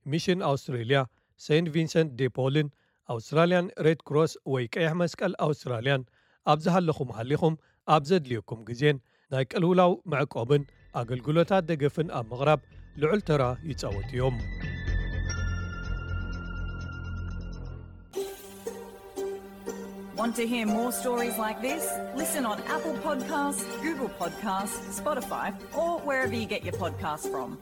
ሚሽን ኣውስትሬልያ፣ ሴንት ቪንሰንት ዴ ፖልን ኣውስትራልያን ሬድ ክሮስ ወይ ቀይሕ መስቀል ኣውስትራልያን ኣብ ዝሃለኹም ሃሊኹም ኣብ ዘድልየኩም ግዜን ናይ ቅልውላው መዕቆብን ኣገልግሎታት ደገፍን ኣብ ምቕራብ ልዑል ተራ ይጻወቱ እዮም። Want to hear more stories like this? Listen on Apple Podcasts, Google Podcasts, Spotify, or wherever you get your podcasts from.